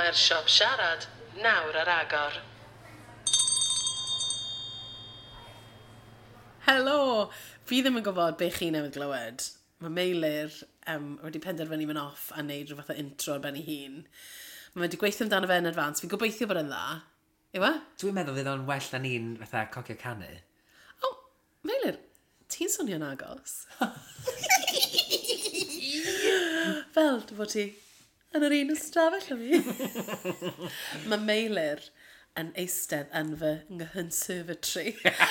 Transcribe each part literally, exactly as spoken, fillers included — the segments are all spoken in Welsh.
Mae'r siop siarad nawr ar agor. Helo! Fi ddim yn gwybod be chi newydd glywed. Mae Meilir um, wedi penderfynu mynd off a neud rhyw fath o intro ar ben ei hun. Mae wedi gweithio amdano fe yn advance. Fi'n gobeithio bod e'n dda. Yw e? Dwi'n meddwl fydd o'n well na ni'n fatha cocio canu. O, oh, Meilir, ti'n swnio'n agos. Fel dy fod ti yn yr un ystafell â fi. Mae Meilir yn eistedd yn fy nghyconservatory.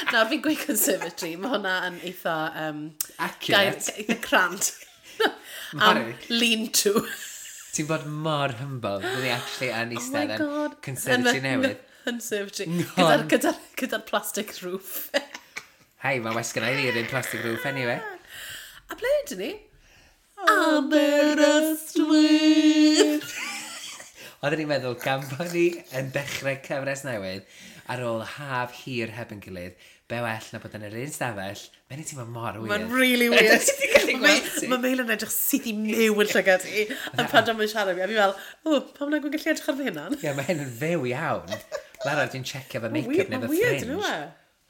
Nawr fi'n gweud conservatory, mae hwnna yn eitha... Um, Accurate. Gair, eitha crand. Am lean-to. Ti'n bod mor humble, fyddi ni actually yn Oh my eistedd yn God. conservatory Yn fy newydd. Conservatory. Nghon. Gyda'r gyda, gyda plastic roof. Hei, mae wes gynna i fi yr un plastic roof anyway. A ble ydyn ni? Aberystwyth! Oedden ni'n meddwl gan bod ni yn dechrau cyfres newydd ar ôl haf hir heb yn gilydd, be well na bod yn yr un stafell, mae'n i teimlo mor weird. Mae'n really weird. Ti'n gallu gweld ti? Mae Meil yn edrych syth i mew yn llygad i. A pan dwi'n siarad fi, a fi fel, o, pam nag wy'n gallu edrych ar fy hunan? Ie, mae hyn yn fyw iawn. Lara, dwi'n checio fy make-up neu Mae'n fy weird, fringe. yn yw e?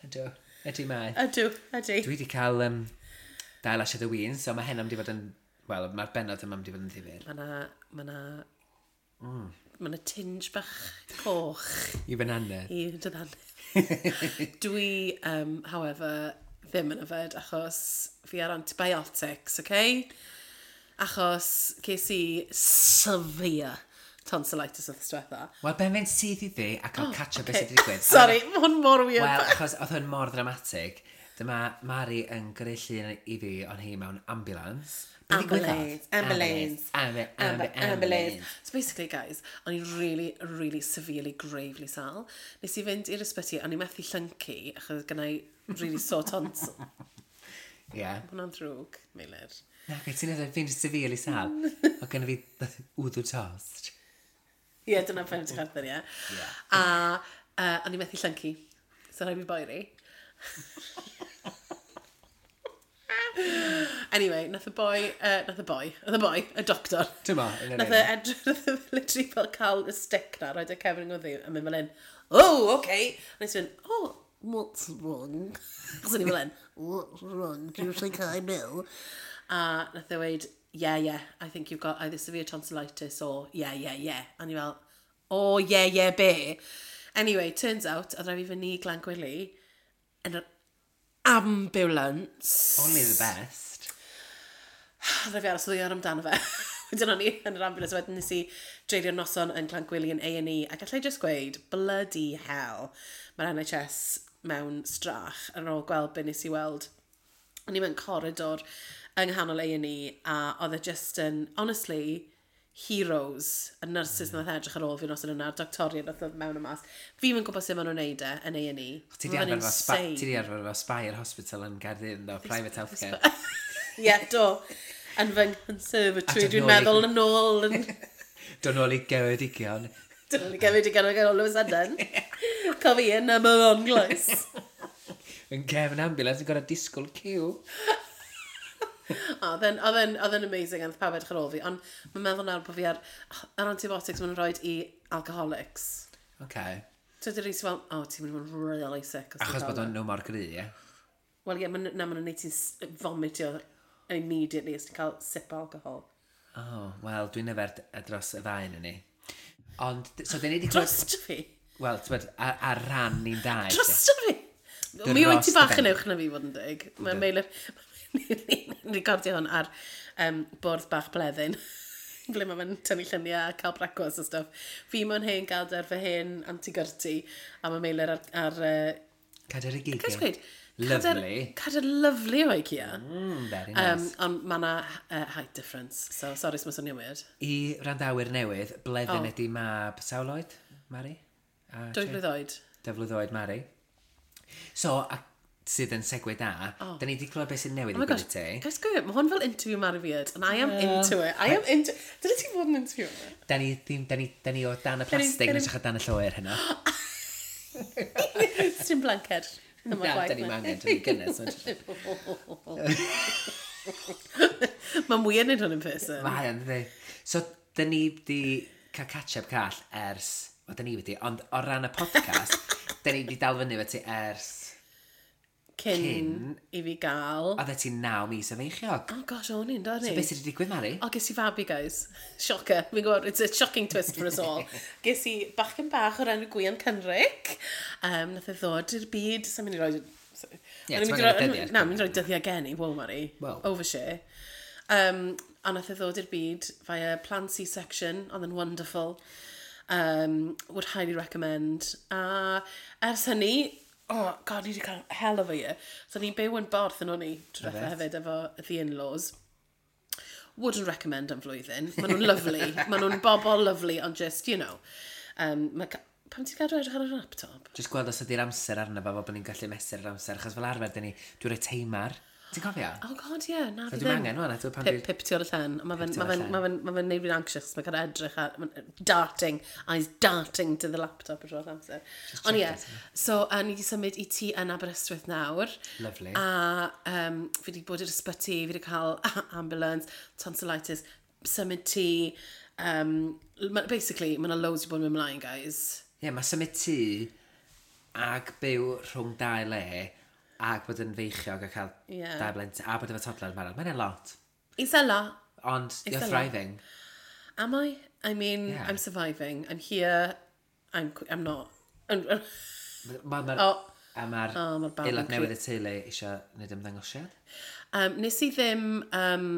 Ydw, ydy mae. Ydw, ydy. Dwi wedi cael um, dau lasiad o win, so mae hyn am di fod yn... Wel, mae'r bennod yma am di fod yn ddifyr. Mae na, mae na, mm. mae na tinge bach coch I fy nannedd. i dy ddannedd. Dwi, um, however, ddim yn yfed achos fi ar antibiotics, okay? Achos ces i severe tonsillitis wrth diwetha. Wel, ben fynd syth i ddi a cael oh, catch up beth Okay. sydd wedi digwydd. Sorry, mae hwn mor weird. Wel, achos oedd hwn mor ddramatig. Dyma Mari yn gyrru llun i fi ond hi mewn ambulance. Be ddigwyddodd? Ambulance, ambulance, Ambu- ambu- ambu- ambulance. So basically, guys, o'n i'n really, really severely, gravely sal. Nes i fynd i'r ysbyty, o'n i methu llyncu, achos gynna i really sore tonsil. Ie. Mae hwnna'n ddrwg, Meilir. Na, beth ti'n meddwl, fi'n severely sal. O gynna fi wddw tost. Ie, yeah, dyna pen ti'n chwerthin, ie. Ie. A uh, o'n i methu llyncu, so rhaid fi boeri. Anyway, nath y boi, uh, nath y boi, nath y boi, y doctor. Ti'n mo, yn yr Nath e edrych, nath e literally fel cael y stick na, roed y cefn yng ngwddw, a mynd fel un, oh, okay. A nes i fynd, oh, what's wrong? Achos o'n i fel un, what's wrong? Do you think I'm ill? A nath e weid, yeah, yeah, I think you've got either severe tonsillitis or yeah, yeah, yeah. A ni fel, oh, yeah, yeah, be. Anyway, turns out, oedd rhaid fi fynd i Glangwili yn yr ambulance. Only the best. Oedd rhaid fi aros ddwy awr amdano fe. Wedyn o'n i yn yr ambulance, wedyn nes i dreulio noson yn Glangwili yn A and E, a gallai just gweud, bloody hell, mae'r N H S mewn strach ar ôl gweld be nes i weld. O'n i mewn corridor yng nghanol A and E, a oedd e just yn, honestly, heroes, y nurses nath edrych ar ôl fi noson yna, a'r doctoriaid nath ddod mewn y mas. Fi'm yn gwybod sut maen nhw'n neud e yn A and E. Ti di Mae'n arfer efo spa- insane. ti di arfer efo Spire Hospital yn Gaerdydd, ynddo, private healthcare. Ie, yeah, do. Yn fy conservatory, A dod dwi'n nôl i- meddwl yn ôl yn... Dod nôl i Geredigion. Dyn nhw'n gymryd i ganol all of a sudden. Cofi yn am yr onglais. Yn gefn ambulance yn gorau disgwyl ciw. Oedd e'n- oedd e'n oedd e'n amazing a nath pawb edrych ar ôl fi, ond mae'n meddwl nawr bod fi ar, ar antibiotics maen nhw'n rhoi i alcoholics. Okay. So dyn nhw'n fel, oh, ti'n mynd i fod yn really sick. os ti'n Achos cael bod nhw." o'n nhw mor gry, ie? Wel ie, ma' na, maen nhw'n neud ti'n s- vomitio immediately os ti'n cael sip o alcohol. Oh, wel, dwi'n yfed dros y ddau yn ni. Ond, so, dyn ni wedi clywed... Drosto fi? Wel, ti'n bod, ar, ar ran ni'n dau. Drosto fi? Mi wyt ti Dros bach dy yn ben. uwch na fi fod yn dig. Mae Meilir... Ni'n recordio hwn ar um, bwrdd bach bleddyn. Ble mae fe'n tynnu lluniau a cael brecwast a stuff. Fi mewn hen gader fy hen anti-gyrti a mae Meilir ar... ar uh, Cader y Gael gig. gweud? Cader, Lovely. cader lovely o IKEA. Mm, very nice. Um, ond mae yna uh, height difference, so sorry os mae swnio'n weird. I randawyr newydd, bleddyn Oh. ydi mab sawl oed, Mari? A Dwy ti? flwydd oed. Dwy flwydd oed, Mari. So, a, sydd yn segue da, oh. da ni wedi clywed beth sy'n newydd Oh my i gosh, gwneud ti. guys, go, mae hwn fel interview Mari Beard, and I am into it. I am into... Dyle ti fod yn interview? Da ni, ddim, da ni, da ni o dan y ni- plastig, da yn ni- edrych o dan y lloer hynna. Dim blanced. Yma Na, chwaith da ni'n angen, da ni'n gynnes. Mae'n weird wneud hwn in person. Mae yn, ddi. So, da ni di cael catch-up call ers, wel, da ni wedi, ond o ran y podcast, da ni wedi dal fyny efo ti ers, Cyn, Cyn. i fi gael. Oeddet ti'n naw mis o feichiog. Oh gosh, o'n i'n dod So ni. beth sydd wedi digwydd, Mari? O, ges i fabi, guys. Shocker. Fi'n gwybod, it's a shocking twist for us all. Ges i bachgen bach o'r enw Gwion Cynric. Um, nath e ddod i'r byd. Sa'n mynd i roi... Ie, O'n i'n ti'n mynd i angen roi- dyddiad. Na, mynd i roi dyddiau geni. Wow, Mari. Wow. Overshare. Um, a nath e ddod i'r byd via planned C-section. Oedd yn wonderful. Um, would highly recommend. A ers hynny, oh god, ni wedi cael hell of a year. So ni'n byw yn Borth yn o'n i, tro diwetha hefyd, efo the in-laws. Wouldn't recommend am flwyddyn. Maen nhw'n lovely. Maen nhw'n bobl lovely, ond just, you know. Um, ma, ca- pam ti'n gadw edrych ar y laptop? Just gweld os ydy'r amser arno fo, fel bod ni'n gallu mesur yr amser, achos fel arfer, dyn ni, dwi'n rhoi teimar. Ti'n cofio? Oh god, yeah, na So fi dwi'm ddim. angen wan, a dwi pan Pip, dwi- pip tu ôl y llen. Mae fe'n tu ôl ma y fe'n llen. ma fe'n ma fe'n neud fi'n anxious. Mae'n cael edrych ar... ma'n darting, eyes darting to the laptop yr holl amser. Ond ie, check it, so uh, ni wedi symud i tŷ yn Aberystwyth nawr. Lovely. A um, fi wedi bod i'r ysbyty, fi wedi cael ambulance, tonsillitis, symud tŷ. Um, ma- basically, mae yna loads i bod yn mynd ymlaen, guys. Ie, yeah, mae symud tŷ ag byw rhwng dau le ag bod yn feichiog a cael Ie. dau blentyn a bod efo toddler yn barod. Mae'n a lot. It's a lot. Ond you're a lot. thriving. Am I? I mean, Yeah. I'm surviving. I'm here. I'm, I'm not. I'm, Ma, ma, Oh. A mae'r Oh, ma'r babi'n aelod crio. newydd y teulu eisiau gwneud ymddangosiad. Um, nes i ddim um,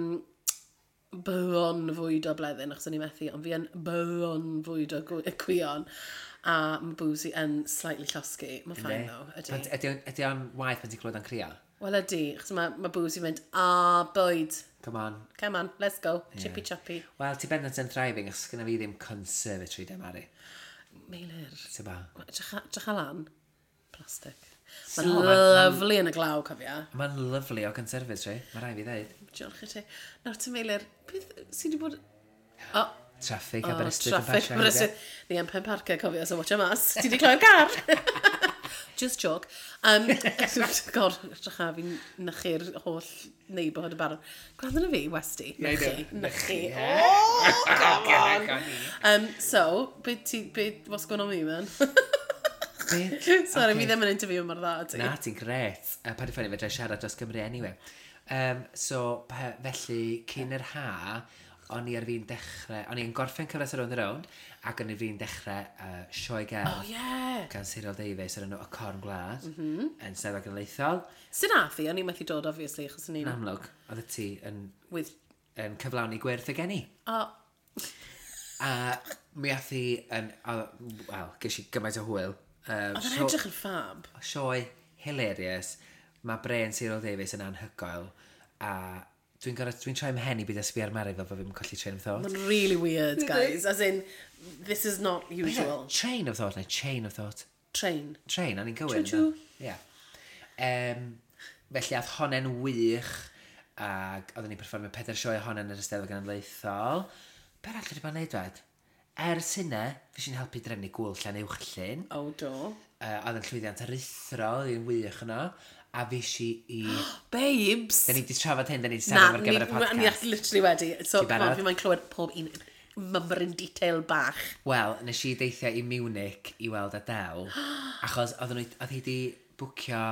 bron fwydo Bleddyn, achos o'n i methu, ond fi yn bron fwydo gw- Gwion. A mae Boozy yn slightly llosgi. Mae'n fine though, ydy. Pan- Ydy o'n- ydy o'n waith pan ti'n clywed o'n crio? Wel ydy, achos mae, mae Boozy yn mynd, a bwyd. Come on. Come on, let's go. Chippy choppy. Wel, ti bendant yn thriving, achos gynna fi ddim conservatory de, Mari. Meilir. Ti'n ba? Drych lan. Plastic. So, Mae'n ma'n- ma'n- lovely yn y glaw, cofia. Mae'n lovely o conservatory, mae rhaid fi ddeud. Diolch i ti. Nawr ti Meilir, beth sydd wedi bod... O, Traffic oh, Aberystwyth yn traffic pasio. Aberystwyth. Ni am pen parker, cofio, so watch mas. Ti wedi cloi'r car? Just joke. Um, God, edrych a fi'n nychu'r holl neighbourhood y barod. Gwrando na fi, Westy. Nychu. Nychu. Oh, come on. Um, so, beth ti, beth, what's going on with you, man? Sorry, fi ddim yn interview mor dda, ti. Na, ti'n gret. Uh, pa di ffynnu, fedra i siarad dros Gymru anyway. Um, so, pe, felly, cyn yr ha, o'n i ar fi'n dechrau, o'n i'n gorffen cyfres ar Rownd a Rownd, ac o'n i ar fi'n dechrau uh, sioe gerdd Oh, yeah. gan Cyril Davies o'r enw Y Corn Gwlad, mm -hmm. yn Steddfod Genedlaethol. Sut nath i? O'n i'n methu dod, obviously, achos o'n Yn i'n... amlwg, oedd y ti yn, With... yn cyflawni gwerth y geni. Oh, A mi ath hi yn, wel, ges i gymaint o hwyl. Um, oedd yn edrych yn fab. Sioe hilarious. Mae Bren Cyril Davies yn anhygoel. A dwi'n gorau, dwi'n troi mhen i byd sbio ar Mari fel bod fi'n colli train of thought. Mae'n really weird, guys. As in, this is not usual. Train of thought neu chain of thought. Train. Train, o'n i'n gywir. Choo-choo. Ie. Um, felly ath honne'n wych ac oedden ni'n perfformio pedair sioe honne'n yr Eisteddfod Genedlaethol. Be arall wedi bod yn neud wed? Ers hynna, fi sy'n helpu drefnu gwyl Llanuwchllyn. Oh, do. Uh, oedd yn llwyddiant aruthrol, oedd hi'n wych yno. A fi si i... Babes! Da ni wedi trafod hyn, da ni wedi Na, sefyll ar gyfer y ni, podcast. ni literally wedi. So, Ti come on, barod? fi mae'n clywed pob un mymryn detail bach. Wel, nes i deithio i Munich i weld Adele, achos oedden nhw, oedd hi wedi bwcio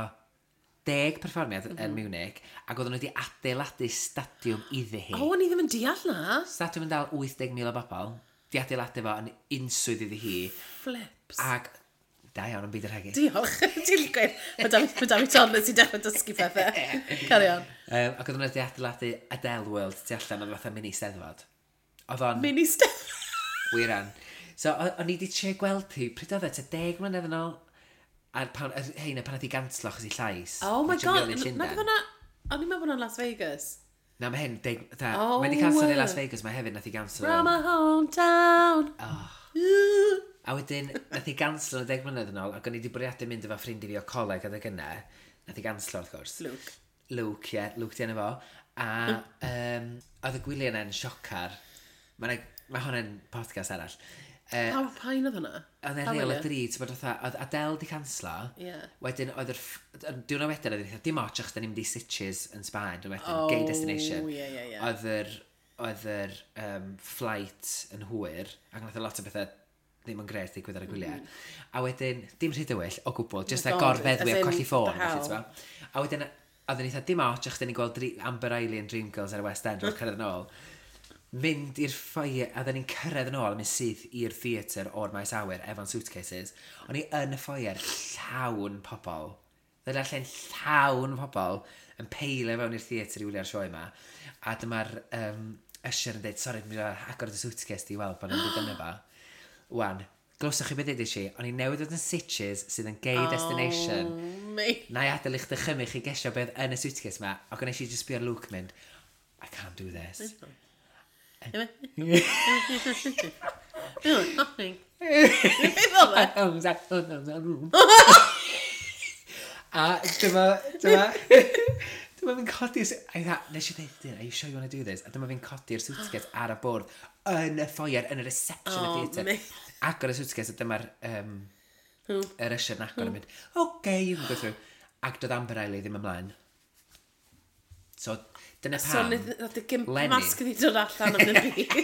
deg perfformiad mm -hmm. yn Munich, ac oedden nhw wedi adeiladu stadiwm iddi hi. Oh, o'n i ddim yn deall na. Stadiwm yn dal wyth deg mil o bobl, di adeiladu fo yn unswydd iddi hi, Flips. ac da iawn yn byd yr hegu. Diolch. Ti'n gweud, mae da fi- ma' da fi toddler sy'n dechrau dysgu pethau. Carry on. Um, ac oedden nhw wedi adeiladu Adele World tu allan oedd fatha mini steddfod. Oedd o'n Mini step. wir an. So, o- o'n i wedi trio gweld hi, pryd oedd e, tua deg mlynedd yn ôl, a'r pan, yr heina pan oedd hi ganslo achos i llais. Oh my Yn trio god. mynd i Nag Llundain. oedd hwnna... O'n i'n meddwl bod hwnna'n Las Vegas. Na, mae hyn, deg, dda, Oh. mae wedi canslo i Las Vegas, mae hefyd nath i ganslo. From my hometown. Oh. Ooh. A wedyn, nath i ganslo yn y deg mlynedd yn ôl, ac o'n i wedi bwriadu mynd efo ffrind i fi o coleg adeg yna. Nath i ganslo, wrth gwrs. Luke. Luke, ie, yeah, Luke di enw fo. A um, oedd y gwyliau yna'n siocar. Mae ma hwnna'n podcast arall. Uh, Pa pa un oedd hwnna? Oedd e'n Pa real o wyliau? dri, ti'n bod fatha, oedd Adele di canslo. Ie. Wedyn, oedd yr, ff- y diwrnod wedyn, oedd hi'n dim ots achos da ni'n mynd i Sitges yn Sbaen, diwrnod wedyn, Oh, gay destination. ie, ie, ie. Oedd yr oedd yr um, flight yn hwyr, ac nath o lot o bethau ddim yn gret ddigwydd ar y gwyliau. Mm. A wedyn, dim rhy dywyll o gwbl, just Oh a my God, gorfeddwi as a in, colli ffôn. the felly, hell. t'bo'? A wedyn, oedden ni eitha dim ots, achos ni'n gweld Dre- Amber Riley yn Dreamgirls ar y West End, o'r cyrraedd yn ôl. Mynd i'r foyer, a oedden ni'n cyrraedd yn ôl, a mynd syth i'r theatr o'r maes awyr, efo'n suitcases. O'n i yn y foyer llawn pobl. Oedd y lle'n llawn pobl yn peilio fewn i'r theatr i wylio'r sioe yma. A dyma'r um, usher yn dweud, "Sori, dwi'n mynd agor y suitcase di i weld bod nhw'n dod yna fa." Wan, glywsoch chi beth dweud i, o'n i newydd fod yn Sitges, sydd yn gay destination. Oh, mate. Na i adael i'ch dychymyg chi gesio beth yn y suitcase ma, ac o'n eisiau just sbio ar Luke mynd, "I can't do this." Nothing. Beth oedd e? A dyma, dyma, dyma fi'n codi, a i dda, nes i dweud, "Are you sure you want to do this?" A dyma fi'n codi'r suitcase ar y bwrdd yn y foyer, yn y reception y Oh, theatr. mate. Agor y suitcase, a dyma'r um, yr usher yn agor yn mynd, "Okay, you can go through." Ac doedd Amber Riley ddim ymlaen. So, dyna So, pam. nath y gimp Lenny. mask iddi dod allan am y byd.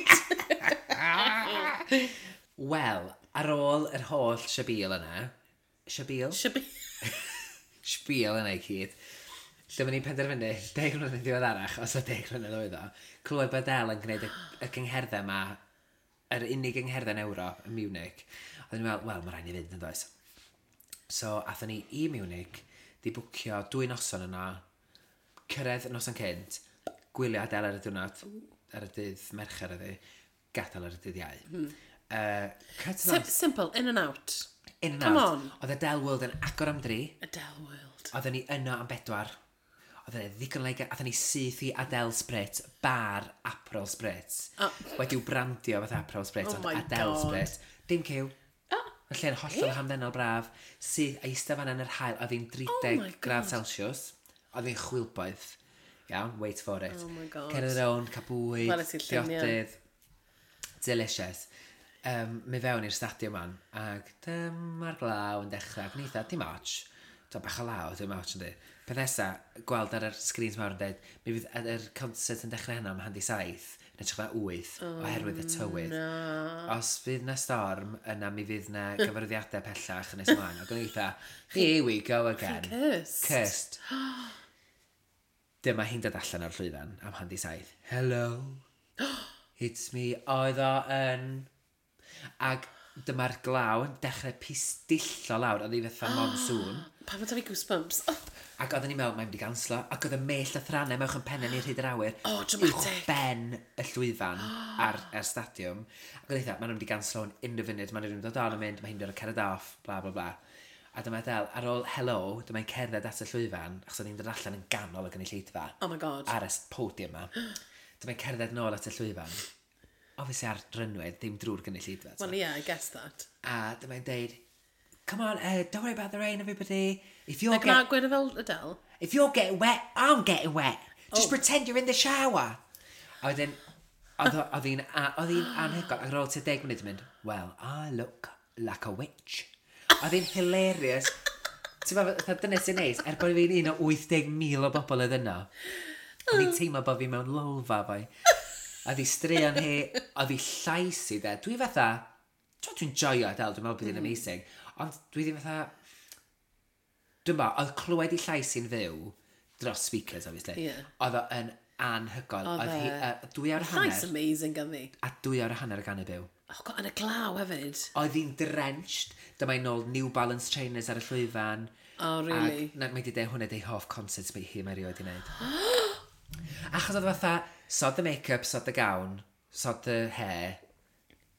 Wel, ar ôl yr holl siabil yna, siabil? Siabi. Spiel yna i gyd, lle ma'n ni'n penderfynu, deg mlynedd yn ddiweddarach, os o deg mlynedd oedd o, clywed bod Adele yn gwneud y, y gyngherddau yma, yr unig gyngherddau yn Ewrop, yn Munich. Oedden ni'n meddwl, wel, mae rhaid ni fynd yn does. So, athon ni i Munich, di bwcio dwy noson yna, cyrraedd y noson cynt, gwylio Adele ar y diwrnod, ar y dydd Mercher ydi, gadael ar y dydd Iau. Mm. Uh, cut the Sim simple, in and out. In and Come out. on. Oedd Adele World yn agor am dri. Adele World. Oedden ni yno am bedwar. Oedden ni ddigon le, athon ni syth i Adele Spritz, bar Aperol Spritz. Oh. Wedi'w brandio fatha Aperol Spritz, Oh ond my Adele God. Spritz. Dim cyw. Oh. Y lle'n hollol hamddenol braf. Syth, a eistedd fan yn yr haul, oedd hi'n Oh tri deg my gradd God. Celsius. Oedd hi'n chwilboeth. Iawn, wait for it. Oh my God. Cerdded rownd, cael bwyd, Weles i'r lluniau. diodydd. Delicious. Um, mi fewn i'r stadiwm man, ac dyma'r glaw yn dechrau, ac ni eitha, dim ots. Dwi'n bach o law, dim ots yndi. Peth nesa, gweld ar yr screens mawr yn dweud, mi fydd yr yr concert yn dechrau heno am handi saith, yn hytrach na wyth, oherwydd y tywydd. Na. Os fydd na storm, yna mi fydd na gyfarwyddiadau pellach yn nes ymlaen. Ac o'n i eitha, "Here we go again." Cursed. Cursed. Dyma hi'n dod allan o'r llwyfan am handi saith. "Hello, it's me." Oedd o yn... Ac dyma'r glaw yn dechrau pistillo lawr, oedd hi fatha monsoon. Pam mae fi goosebumps? Oh, Ac oedden ni'n meddwl, mae'n mynd i ganslo. Ac oedd y mellt a thrannau mewn yn pennau ni'r hyd yr awyr. Oh, dramatic. Ben y llwyfan ar, ar stadiwm. Ac oedd eitha, maen nhw'n mynd i ganslo yn unrhyw funud. Maen nhw'n mynd dod on yn mynd, mae hi'n dod o cerdded off, bla bla bla. A dyma Adele, ar ôl "hello", dyma'n cerdded at y llwyfan, achos oedd hi'n dod allan yn ganol y gynulleidfa. Oh my God. Ar y s- podium yma. Dyma'n cerdded nôl at y llwyfan. Obviously ar runway, ddim drwy'r gynulleidfa. Well, yeah, I guess that. A dyma'n deud, "Come on, uh, don't worry about the rain, everybody. If you're Like, na, get, gweud e fel Adele. if you're getting wet, I'm getting wet. Just Oh. pretend you're in the shower." A wedyn, oedd o- oedd hi'n a- oedd hi'n anhygoel. Ac ar ôl tua deg munud yn mynd, "Well, I look like a witch." Oedd hi'n hilarious. Ti'n meddwl, fatha dyna sy'n neis, er bod fi'n un o wyth deg mil o bobl oedd yno. O'n i'n teimlo bod fi mewn lolfa foi. Oedd hi straeon hi, oedd hi llais i dde. Dwi fatha, t'mo, dwi'n joio Adele, dwi'n meddwl bod hi'n amazing. Ond dwi ddim fatha, dwi'n meddwl, oedd clywed i llais hi'n fyw, dros speakers, obviously. Ie. Oedd o yn anhygoel. Oedd Oedd hi, e. uh, dwy awr a Llais hanner, amazing ganddi. A dwy awr a hanner y ganu byw. Oh God, yn y glaw hefyd. Oedd hi'n drenched. Dyma hi'n nôl New Balance trainers ar y llwyfan. Oh, really? Ac, na, mae di dweud hwnna di hoff concert mae hi mae erioed i wneud. Achos oedd fatha, sod the make-up, sod the gown, sod the hair.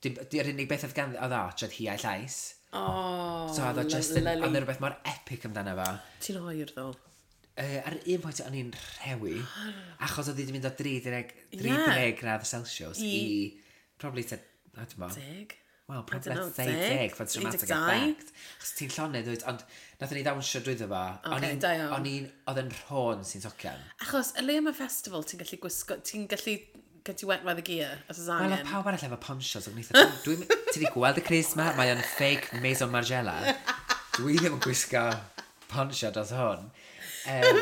Dim- Di'r unig beth oedd gan oedd Arch oedd hi a'i llais. Oh, So oedd o just yn, lyfli. oedd 'na rhywbeth mor epic amdano fo. Ti'n oer, ddo. Uh, ar un pwynt o'n i'n rhewi, achos oedd hi wedi mynd o tri deg, Yeah. tri deg gradd Celsius i, I- probably te, I don't know. Deg? Well, I probably don't know, let's say deg? deg for dramatic un deg dau? effect. Achos ti'n llonydd, dwyt, ond nathon ni ddawnsio drwyddo fo. O'n Ocê, i'n- da iawn. O'n i'n, oedd yn rhôn sy'n socian. Achos, y le yma festival, ti'n gallu gwisgo, ti'n gallu get you wet by the gear, os oes Wel, oedd angen. pawb arall efo ponchos, ac o'n i'n dwi'n, ti wedi gweld y crys ma? Mae o'n fake Maison Margiela. Dwi ddim yn gwisgo poncho dros hwn. Um,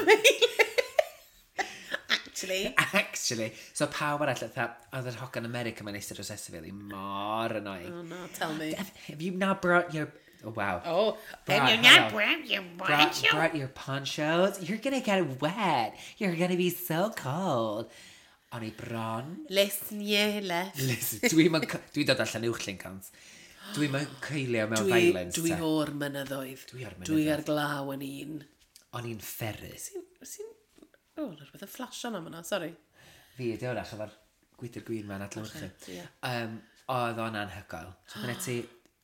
Actually. Actually. So pawb arall, fatha, oedd yr hogan America mae'n eistedd dros fi, mor annoying. Oh no, tell me. Have, have you not brought your... Oh, wow. Oh, Brought, and you're not hello. brought your Brought, poncho. brought your ponchos. You're gonna get wet. You're gonna be so cold. O'n i bron. Listen, yeah, left. Listen, dwi'n dwi dod allan uwch Lincolns. Dwi'n mynd coelio mewn Dwi, violence. dwi te. o'r mynyddoedd. Dwi o'r Dwi mynyddoedd. ar glaw yn un. O'n i'n fferru. Sy'n... Sy'n... O, oh, rhywbeth yn flash yna fyna, sorry. Fi ydi wrach efo'r gwydr gwyn ma'n adlewyrchu. Ie. Um, oedd o'n anhygoel. So dyna ti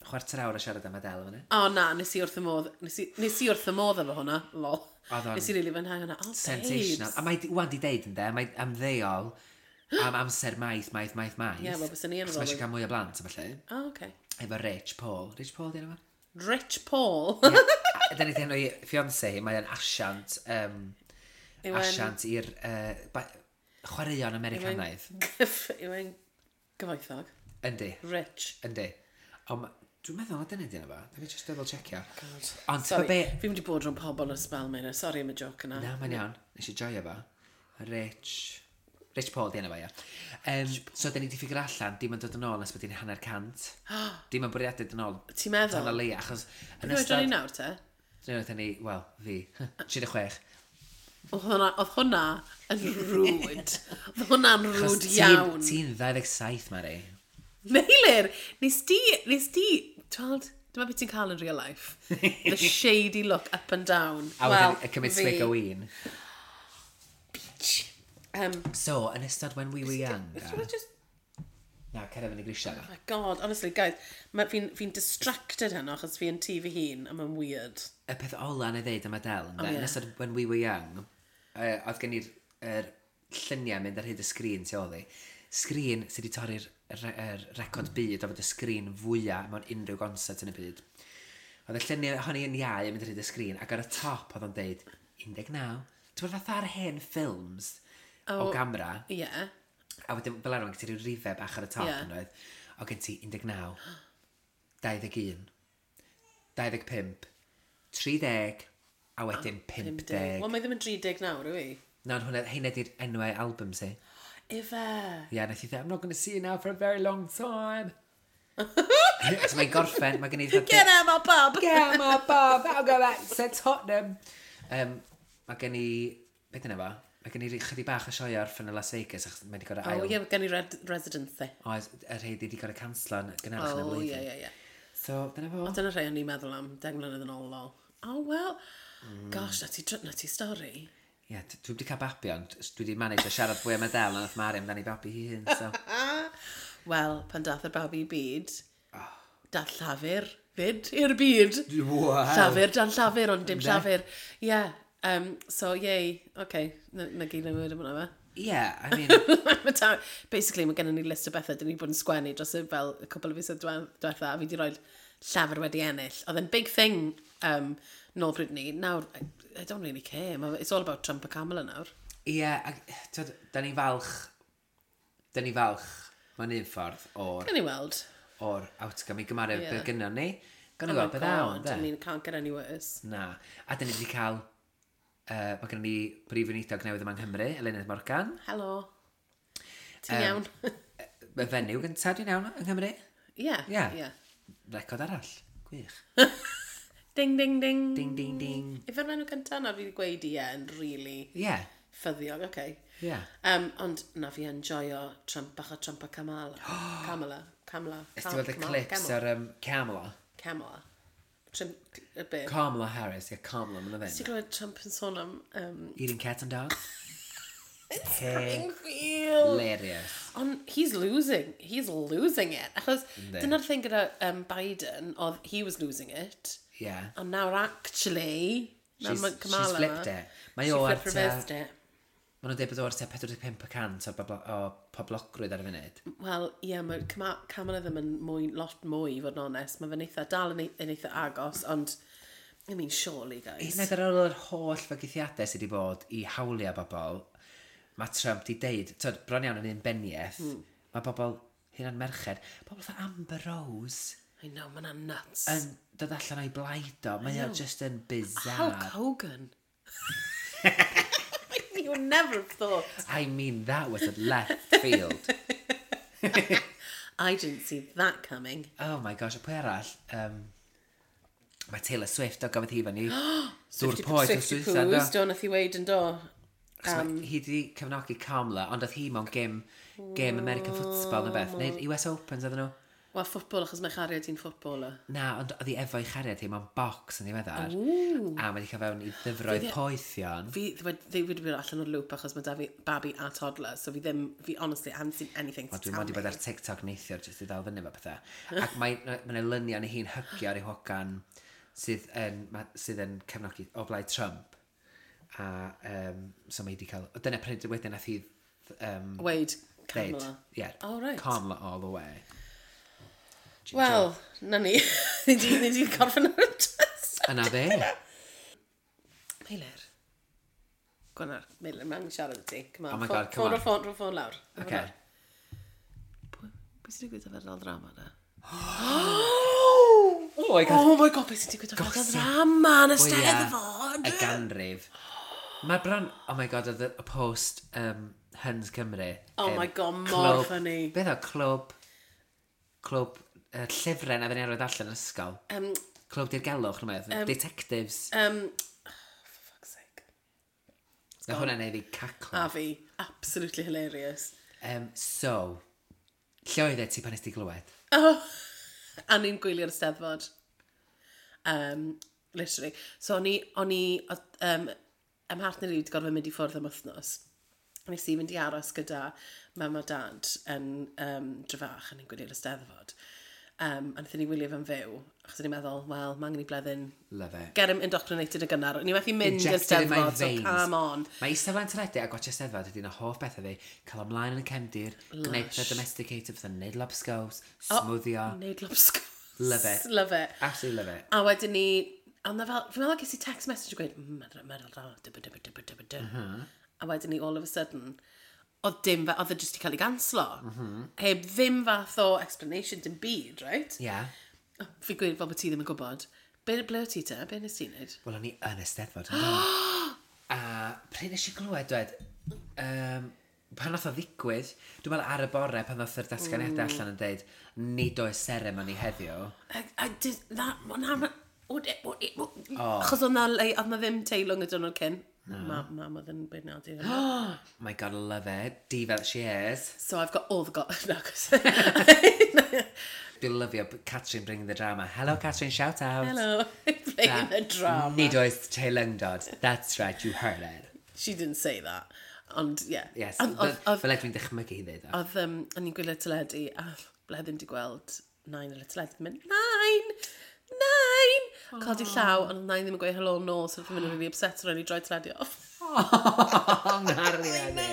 chwarter awr o siarad am Adele fyny. O na, nes i wrth y modd, nes i, nes i wrth y modd efo hwnna, lol. Oedd o'n Nes i rili fwynhau hwnna. Oh, Sensational. babes. A mae di- wan di deud ynde, mae ymddeol am amser maith, maith, maith, maith. Ie, wel, bysen i yn Achos mae ôl eisiau cael mwy o blant, a falle. O, oh, okay. Efo Rich Paul. Rich Paul, di enw fo? Rich Paul. A Da ni di enw i fiancé hi, mae'n asiant, um, Yw e'n- asiant i'r uh, ba- chwaraeon Americanaidd. Gyff- Yw e'n gyfoethog. Yndi, Rich. yndi. Ond ma- dwi'n meddwl na dyna di enw fo. Let me just double checkio. God. Ond ti'n Sorry, be... fi'n mynd i bod rhwng pobl yn y spel mewn. Sorry am y joke yna. Na, mae'n iawn. Nes i joio fo. Rich... Rich Paul, di enw fo, ia. Um, so, da ni di ffigur allan, dim yn dod yn ôl nes bod hi'n hanner cant. Dim yn bwriadu dod yn ôl. Ti'n meddwl? Tan o leia, achos... Yn Beth oedran ni ystod... nawr te? Dyna ni, wel, fi. tri deg chwech. Oedd hwnna, oedd hwnna yn rude. Oedd hwnna'n Achos rude ti'n- iawn. Ti'n ddau ddeg saith, Mari. Meilir, nes di, nes di, tweld, dyma beth ti'n cael yn real life. The shady look up and down. A Wel, wedyn y cymryd fi. swig o win. Um, So, yn ystod when we were young... Just, just, Na, cer efo ni grisiau. oh my god, honestly, guys, fi'n fi distracted heno achos fi'n tŷ fy hun, a mae'n weird. Y peth ola na i ddeud am Adele, ynde? Oh, ie. Yn ystod when we were young, uh, oedd gen i'r er lluniau mynd ar hyd y sgrin tu ôl i. Sgrin sydd wedi torri'r re er record byd o fod y sgrin fwyaf mewn unrhyw gonsert yn y byd. Oedd y lluniau honni yn iau yn mynd ar hyd y sgrin, ac ar y top oedd o'n deud un deg naw. Ti'n bod fatha ar hen ffilms oh, o Oh. gamera, Ie. Yeah. a wedyn fel arfer, gen ti ryw rifau bach ar y top Ie. yeah. yn oedd. O gen ti un deg naw, dau ddeg un, dau ddeg pump, tri deg, a wedyn pump deg. Wel, mae ddim yn tri deg nawr, yw i? Na, ond hwnna, heina di'r enwau albums i. Ife. Ie, yeah, nath i dweud, "I'm not going to see you now for a very long time." So mae'n gorffen, mae gen i... Get out my pub! Get out my pub, I'll go back to Tottenham. Um, mae gen i... Beth yna fo? Mae gen i chydig bach o sioe orffen yn Las Vegas, achos mae wedi gorau Oh, ail... ie, yeah, gen i red residency. Oes, y rhai wedi gorau canslo yn gynharach yn y Oh, flwyddyn. ie, ie, ie. So, dyna fo. O, dyna rhai o'n i'n meddwl am deng mlynedd yn ôl, lol. Oh, well. Mm. Gosh, na ti, na ti stori. Ie, yeah, dwi wedi cael babi, ond dwi wedi manage o siarad fwy am Adele na nath Mari amdani babi hi hun, so. Wel, pan dath y babi i byd, dath llafur fyd i'r byd. Wow. Llafur dan llafur, ond dim llafur. Ie, yeah, um, so yay, okay, na, na gyd yn am hwnna fe. Yeah, I mean, Ma' ta- Basically, mae gennym ni list o bethau dyn ni bod yn sgwennu dros y fel y cwpl o fisoedd dwe- diwetha, a fi wedi rhoi llafur wedi ennill. Oedd e'n big thing um, nôl pryd ni. Nawr, I, I don't really care. Ma- It's all about Trump a Kamala nawr. ie, yeah, ac, twyd, da ni falch, da ni falch, mewn un ffordd, o'r, Gawn ni weld. O'r outcome i gymaru Ie. yeah. beth gynnon ni. Gawn ni Oh my weld beth awn, God, I de. mean, can't get any worse. Na. A da ni wedi cael, uh, mae gennym ni brif weinidog newydd yma yng Nghymru, Eluned Morgan. Helo. Ti'n iawn? Y fenyw gyntaf, dwi'n iawn, yng Nghymru. Ie. Ie. Ie. Record arall. Gwych. Ding, ding, ding. Ding, ding, ding. Ife'r enw cyntaf na fi wedi gweud ie yn really Ie. Yeah. ffyddiog, oce. Okay. Ie. Yeah. Um, ond na fi enjoyo Trump bach o Trump a Kamala. Kamala. Kamala. Ys ti weld y Kamala, clips Kamala. ar um, Kamala? Kamala. Trump, y be? Kamala Harris, ie, Kamala, ma'n Ti'n ddim. glywed Trump yn sôn am... Um, Eating cats and dogs. Springfield! Hilarious. Ond he's losing. He's losing it. Achos Yndi. dyna'r thing gyda um, Biden, oedd he was losing it. Yeah. Ond nawr actually... nawr She's, ma' Kamala she's flipped it. Mae She o ar flipped tua... reversed it. Maen nhw'n dweud bod o ar tua pedwar deg pump y cant o, boblo, o poblogrwydd ar y funud. Wel, ie, yeah, mae Kama- Kamala ddim yn mwy, lot mwy, i fod yn onest. Mae fe'n eitha, dal yn, ei- yn eitha agos, ond, I mean, surely, guys. Hyd yn oed ar ôl yr holl fygythiadau sydd wedi bod i hawliau bobl, mae Trump di deud, twyd, bron iawn yn un beniaeth, mm. mae bobl, hyn yn merched, bobl fatha Amber Rose I know, mae'n nuts. yn dod allan o'i blaid o. Mae o just yn Hulk bizarre. Hogan. You would never have thought. I mean, that was a left field. I didn't see that coming. Oh my gosh, a pwy arall? Um, mae Taylor Swift o gafodd hi fyny. Dŵr poeth o Swifty Swydda, Poos, do. do, nath i weid yn do. Achos mae hi wedi cefnogi Kamala, ond oedd hi mewn gêm, gêm American Football neu beth. Neu U S Opens oedden nhw. Wel, ffwtbol, achos mae chariad hi'n ffwtboler. Na, ond oedd hi efo'i chariad hi mewn box yn ddiweddar. A mae wedi cael fewn i ddyfroedd poethion. Fi ddi wedi bod allan o'r loop achos mae da fi babi a toddler, so fi ddim, fi honestly, I haven't seen anything to Wel, dwi'n tell mod i me. bod ar TikTok neithiwr jyst i ddal fyny efo pethau. Ac mae mae yna luniau yn ei hi'n hygio ar ei hogan sydd yn, ma- sydd yn cefnogi o blaid Trump. A um, so mae hi wedi cael... o, Dyna pryd wedyn nath hi um, Weid, ddeud, Kamala. Yeah, Oh, right. Kamala all the way. Ginger. Wel, na ni. Ni di, ni di gorffen ar y test. Yna fe. Meilir. Gwynar, Meilir, mae'n siarad i ti. Come on. Oh my God, come ffôn, on. Ffôn, ffôn, ffôn lawr. Okay. Pwy sy'n digwydd efo'r ddrama na? Oh my God. Oh my God, beth sy'n digwydd efo'r Gossip. ddrama yn y Fwya Steddfod? Y ganrif. Mae bron... Oh my God, oedd y y post um, Huns Cymru. Oh um, my God, mor clwb- funny. Beth o? Clwb... Clwb uh, llyfrau na fe'n arwydd allan yn ysgol. Um, Clwb dirgelwch, nhw'n meddwl. Um, Detectives. um, oh, for fuck's sake. Na hwnna'n neud fi caclo. A fi, absolutely hilarious. Um, so, lle oedd e ti pan nes ti glywed? Oh, a ni'n gwylio'r Steddfod. Um, literally. So o'n i, o'n i, oedd, um, ym mhartner i wedi gorfod mynd i ffwrdd am wythnos. Nes i fynd i aros gyda mam a dad yn um, Drefach, a ni'n gwylio'r Eisteddfod. Um, a wnaethon ni wylio fe'n fyw, achos o'n i'n meddwl, wel, mae angen i Bleddyn Love it. get him indoctrinated yn gynnar. O'n i methu mynd i'r Injected in my Steddfod, so veins. come on. Mae eistedd flaen teledu a gwatcha Steddfod ydy'n y hoff bethau fi. Cael ymlaen yn y cefndir, gwneud pethau domesticated, fatha neud lobscows, smwddio. Neud lobscows. Love it. Love it. Absolutely love it. A wedyn ni, a na fel, fi'n meddwl ges i text message yn gweud, mm, meddwl, meddwl, da, dyby, dyby, dyby, dyby, dy. A wedyn ni, all of a sudden, oedd dim, fe- oedd e jyst i cael ei ganslo. Heb ddim fath o explanation, dim byd, right? Yeah. Oh, fi gweud fel bod ti ddim yn gwybod. Be, ble o ti te? Be nes ti wneud? Wel, o'n i yn y Steddfod. yn do? A pryd nes i glywed, dwed, um, pan nath o ddigwydd, dwi'n meddwl ar y bore pan nath yr datganiadau mm. allan yn deud, nid oes seremoni heddiw. I, I did that, ma, na, ma, o, e, o, e, o, Achos oedd na, lei- oedd na ddim teilwng y diwrnod cyn. Ma, mam oedd yn beirniadu hynny. Oh my God, love it. Diva that she is. So I've got all the go... No, 'cause- Dwi'n lyfio Catrin bringing the drama. Hello, Catrin, shout out. Hello. Playing the drama. Nid oes teilyngdod. That's right, you heard it. She didn't say that. Ond, yeah. Yes, Ond- fel Oedd, oedd, fel dwi'n dychmygu hi ddeud o. oedd, um, o'n i'n gwylio teledu, a Bleddyn di gweld nain ar y teledu, yn mynd, nain! Nain! Codi llaw, ond nain ddim yn gweud hello nôl, so oedd hi'n mynd yn really upset, so rhaid i droi teledu off. Oh, nghariad i.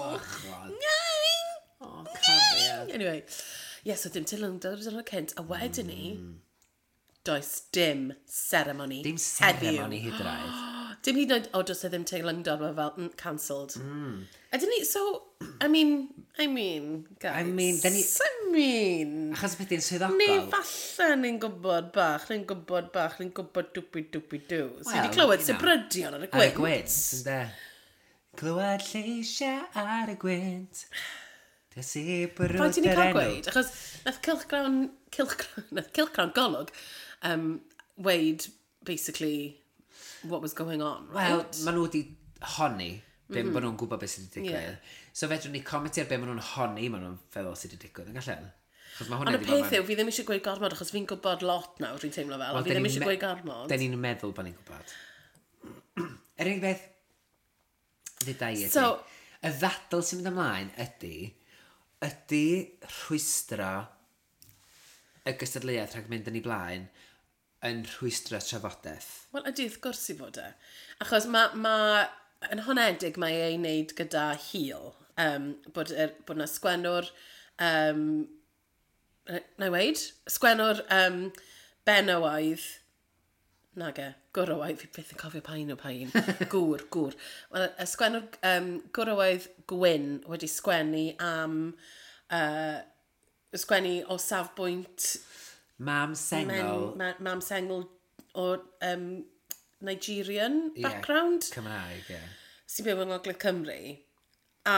Bachod. Nain! Oh, cariad. Anyway, yeah, so dim teilwngdod ar y cynt, a wedyn ni, does dim ceremony Dim heddiw. seremoni hyd yn oed. Dim hyd yn oed, o, does e ddim teilwngdod, mae fel, mm, cancelled. Mm. Ydyn ni, so, I mean, I mean, guys. I mean, dyn ni- I mean, Achos beth yw'n swyddogol. Neu falle ni'n gwybod bach, ni'n gwybod bach, ni'n gwybod dwpi dwpi dw. So Wel, wedi clywed you know. sibrydion ar y Ar y gwynt. gwynt, ynde. Clywed lleisiau ar y gwynt. Dys i brwd Faint i ni yr cael enw. gweud? Achos nath Cylchgrawn, Cylchgrawn, nath Cylchgrawn Golwg um, weud basically what was going on, right? Wel, maen nhw wedi honni, be mm -hmm. bod nhw'n gwybod beth sydd wedi digwydd. Yeah. So fedrwn ni comentio ar be maen nhw'n honni, maen nhw'n feddwl sydd wedi digwydd, yn gallen? Achos mae hwnna Ond y wedi bod peth yw, fi ddim eisiau gweud gormod, achos fi'n gwybod lot nawr, dwi'n teimlo fel, Wel, ond fi dyn ddim ni'n eisiau me- gweud gormod. Dyn ni'n meddwl bod ni'n gwybod. Yr unig beth ddeuda i ydy, So- y ddadl sy'n mynd ymlaen ydy, ydy rhwystro y gystadleuaeth rhag mynd yn ei blaen yn rhwystro trafodaeth. Wel, ydy, wrth gwrs i fod e. Achos mae, ma, yn honedig mae ei wneud gyda hil. Um, bod, er, bod na sgwennwr, um, na i weid, sgwennwr um, benywaidd, nage, gwrywaidd, fi byth yn cofio pa un o pa un, gŵr, gŵr. Wel, y sgwennwr um, gwrywaidd gwyn wedi sgwennu am, uh, sgwennu o safbwynt Mam men, sengl ma, mam sengl o um, Nigerian ie, background. Cymraeg, ie. sy'n byw yng Ngogledd Cymru, a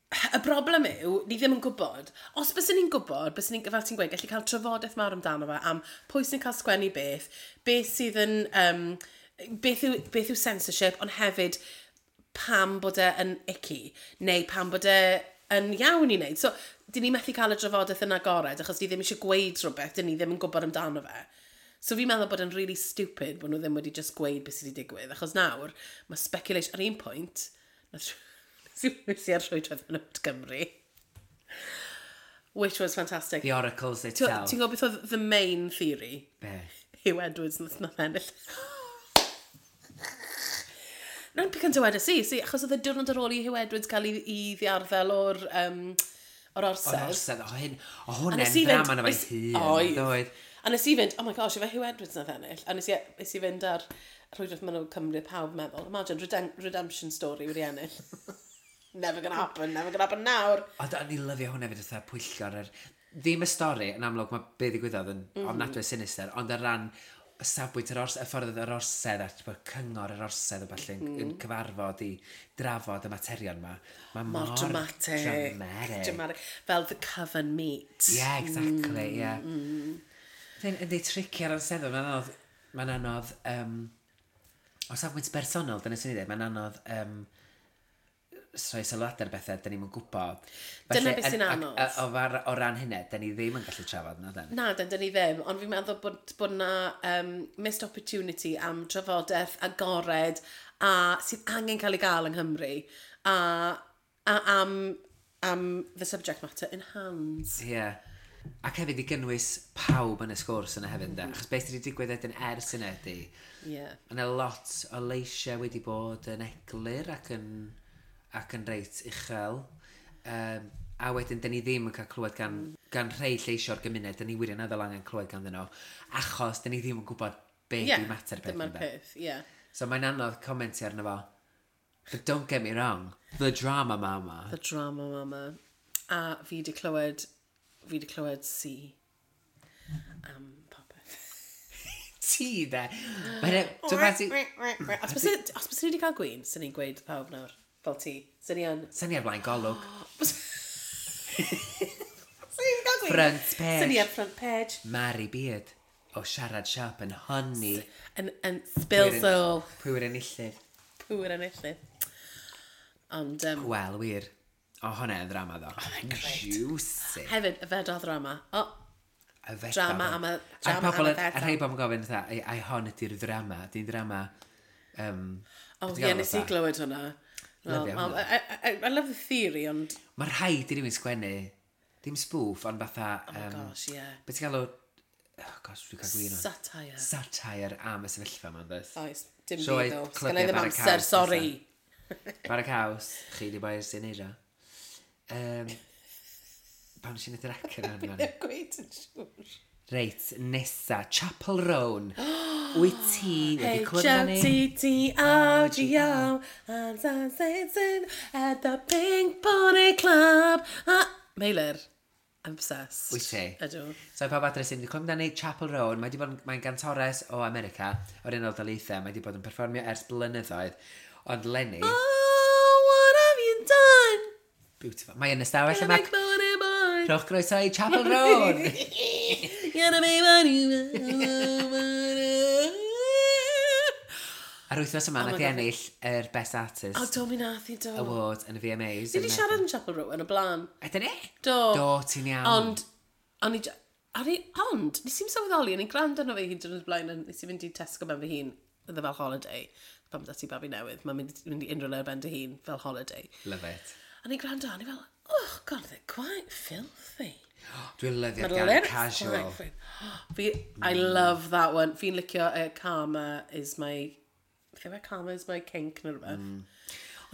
y broblem yw, ni ddim yn gwybod. Os byswn ni'n gwybod, byswn ni'n, fel ti'n gweud, gallu cael trafodaeth mawr amdano fe am pwy sy'n cael sgwennu beth, beth sydd yn, um, beth, yw, beth yw censorship, ond hefyd pam bod e yn icky, neu pam bod e yn iawn i wneud. So, dyn ni methu cael y drafodaeth yn agored, achos ni ddim eisiau gweud rhywbeth, dyn ni ddim yn gwybod amdano fe. So fi'n meddwl bod yn really stupid bod nhw ddim wedi just gweud beth sydd wedi digwydd, achos nawr, mae speculation, ar un pwynt, nath nes i ar rhwydwaith Menywod Cymru, which was fantastic. The oracles Ti'n itself. ti'n gwybod beth oedd the main theory? Be? Huw Edwards nath nath ennill. Na'n pick yn dywedais i, si, achos oedd y diwrnod ar ôl i Huw Edwards cael ei, ei ddiarddel o'r, um, o'r O'r orsedd. orsedd, o hyn, o A hwnna'n nes i fynd- ddrama na fe'i nes- hun. Oedd. Oedd. A nes i fynd, oh my gosh, efe Huw Edwards nath ennill. A nes i, nes i fynd ar rhwydwaith Menywod Cymru, pawb meddwl, imagine, redem redemption story wedi ennill. Never gonna happen, never gonna happen nawr. Ond o'n i lyfio hwnna hefyd fatha pwyllgor yr... Ddim y stori, yn amlwg mae be ddigwyddodd yn mm -hmm. ofnadwy sinister, ond ar ran y safbwynt yr ors, y ffordd oedd yr orsedd a bod cyngor yr orsedd o falle mm. yn, yn cyfarfod i drafod y materion ma. Mae Mor mor dramatic. Dramatic. Dramatic. Fel the coven meet. Yeah, exactly, mm, yeah. Mm. Yndi tricky ar anseddol, mae'n anodd, mae'n anodd, um, o safbwynt bersonol, dyna sy'n ei ddweud, mae'n anodd um, rhoi sylwadau ar bethau, dyn ni'n gwybod. Dyna beth sy'n yn- ac- anodd. a- O, far, o ran hynny, dyn ni ddim yn gallu trafod na, den. Na, dyn, dyn ni ddim, ond fi'n meddwl bod, bod na um, missed opportunity am trafodaeth agored a sydd angen cael ei gael yng Nghymru a, a am, am the subject matter in hand. Ie. Yeah. Ac hefyd i gynnwys pawb yn y sgwrs yna hefyd, mm. Achos beth sydd wedi digwydd wedyn ers yna ydy, Yeah. Yna lot o leisiau wedi bod yn eglur ac yn, ac yn reit uchel. Um, a wedyn, dyn ni ddim yn cael clywed gan, gan rhai lleisiau'r gymuned, dyn ni wirioneddol angen clywed ganddyn nhw, achos dyn ni ddim yn gwybod be Yeah, di mater beth. Dyma'r ynde. peth, ie. Yeah. So mae'n anodd comentio arno fo. But don't get me wrong, the drama mama. The drama mama. A fi di clywed, fi di clywed C am popeth. Ti de. Mae'n... Dwi'n meddwl... Os bys os bys ni wedi cael gwin, sy'n ni'n gweud pawb nawr, fel ti. Sy'n ni yn... Sy'n ni ar blaen golwg. Sy'n ni wedi cael gwin. Front page. Sy'n ni ar front page. Mari Beard o Siarad Siop yn honni. Yn, yn spill soul. Pwy yw'r enillydd? Pwy yw'r enillydd. Ond, um, Wel, wir. O, hwnna yn ddrama ddo. Oh, mae'n grêt. Juicy. Hefyd, y fedal ddrama. O, Y fedal. Drama am y- A'r drama pobl am y yn- A fedal. rhai bobl yn gofyn, fatha, ai, ai hon ydy'r ddrama? Di'n drama... Um, o, ie, nes i glywed hwnna. Well, Lyfio well, hwnna. I, I, I love the theory, ond... Mae rhaid i rywun sgwennu, dim spoof, ond fatha... Oh my Um, gosh, yeah. Be ti'n galw... Oh gosh, dwi'n cael gwin o'n. Satire. Satire am y sefyllfa ma'n dweud. Oes, dim Sioe byd o. clybiau Sgynna i ddim Bara amser, Caws sorry. Bara caws, chi di boi sy'n neud o. Um, pam nes i wneud yr acen yna? Ddim gweud yn siŵr. Reit, nesa, Chappell Roan. Wyt ti wedi clywed amdani? H O T T O G O and dancing at the Pink Pony Club. Ah, Meilir, I'm obsessed. Wyt ti? Ydw. So, pawb adre sy'n wedi clywed amdani, Chappell Roan, mae 'di bod yn, mae'n gantores o America, o'r Unol Daleithiau, mae wedi bod yn perfformio ers blynyddoedd. Ond Lenny, Oh, what have you done? Beautiful. Mae yn ystafell Gonna yma. make money, boy. Rhowch groeso i Chappell Roan! Gonna make money, money. A'r wythnos yma, Oh my nath i God. ennill yr Best Artist O, do mi nath i do. Award yn y V M As. Ni wedi siarad yn Chappell Roan yn y blaen. Ydyn ni? Do. Do, ti'n iawn. Ond, o'n i, o'n i, ond, nes i'n sylweddoli, o'n i'n gwrando arno fe hyd yn oed blaen, a nes i fynd i Tesco mewn fy hun, oedd e fel holiday. Pan bod ti babi newydd, mae'n mynd, mynd i unrhyw le ar ben dy hun fel holiday. Love it. A o'n i'n gwrando, a o'n i fel, oh god, they're quite filthy. Dwi'n lyfio'r Mae'r gan lyrics Casual. quite filthy. Fi, I love that one. Fi'n licio uh, Karma is my... Beth yw e? Karma is my kink neu rhywbeth. Mm.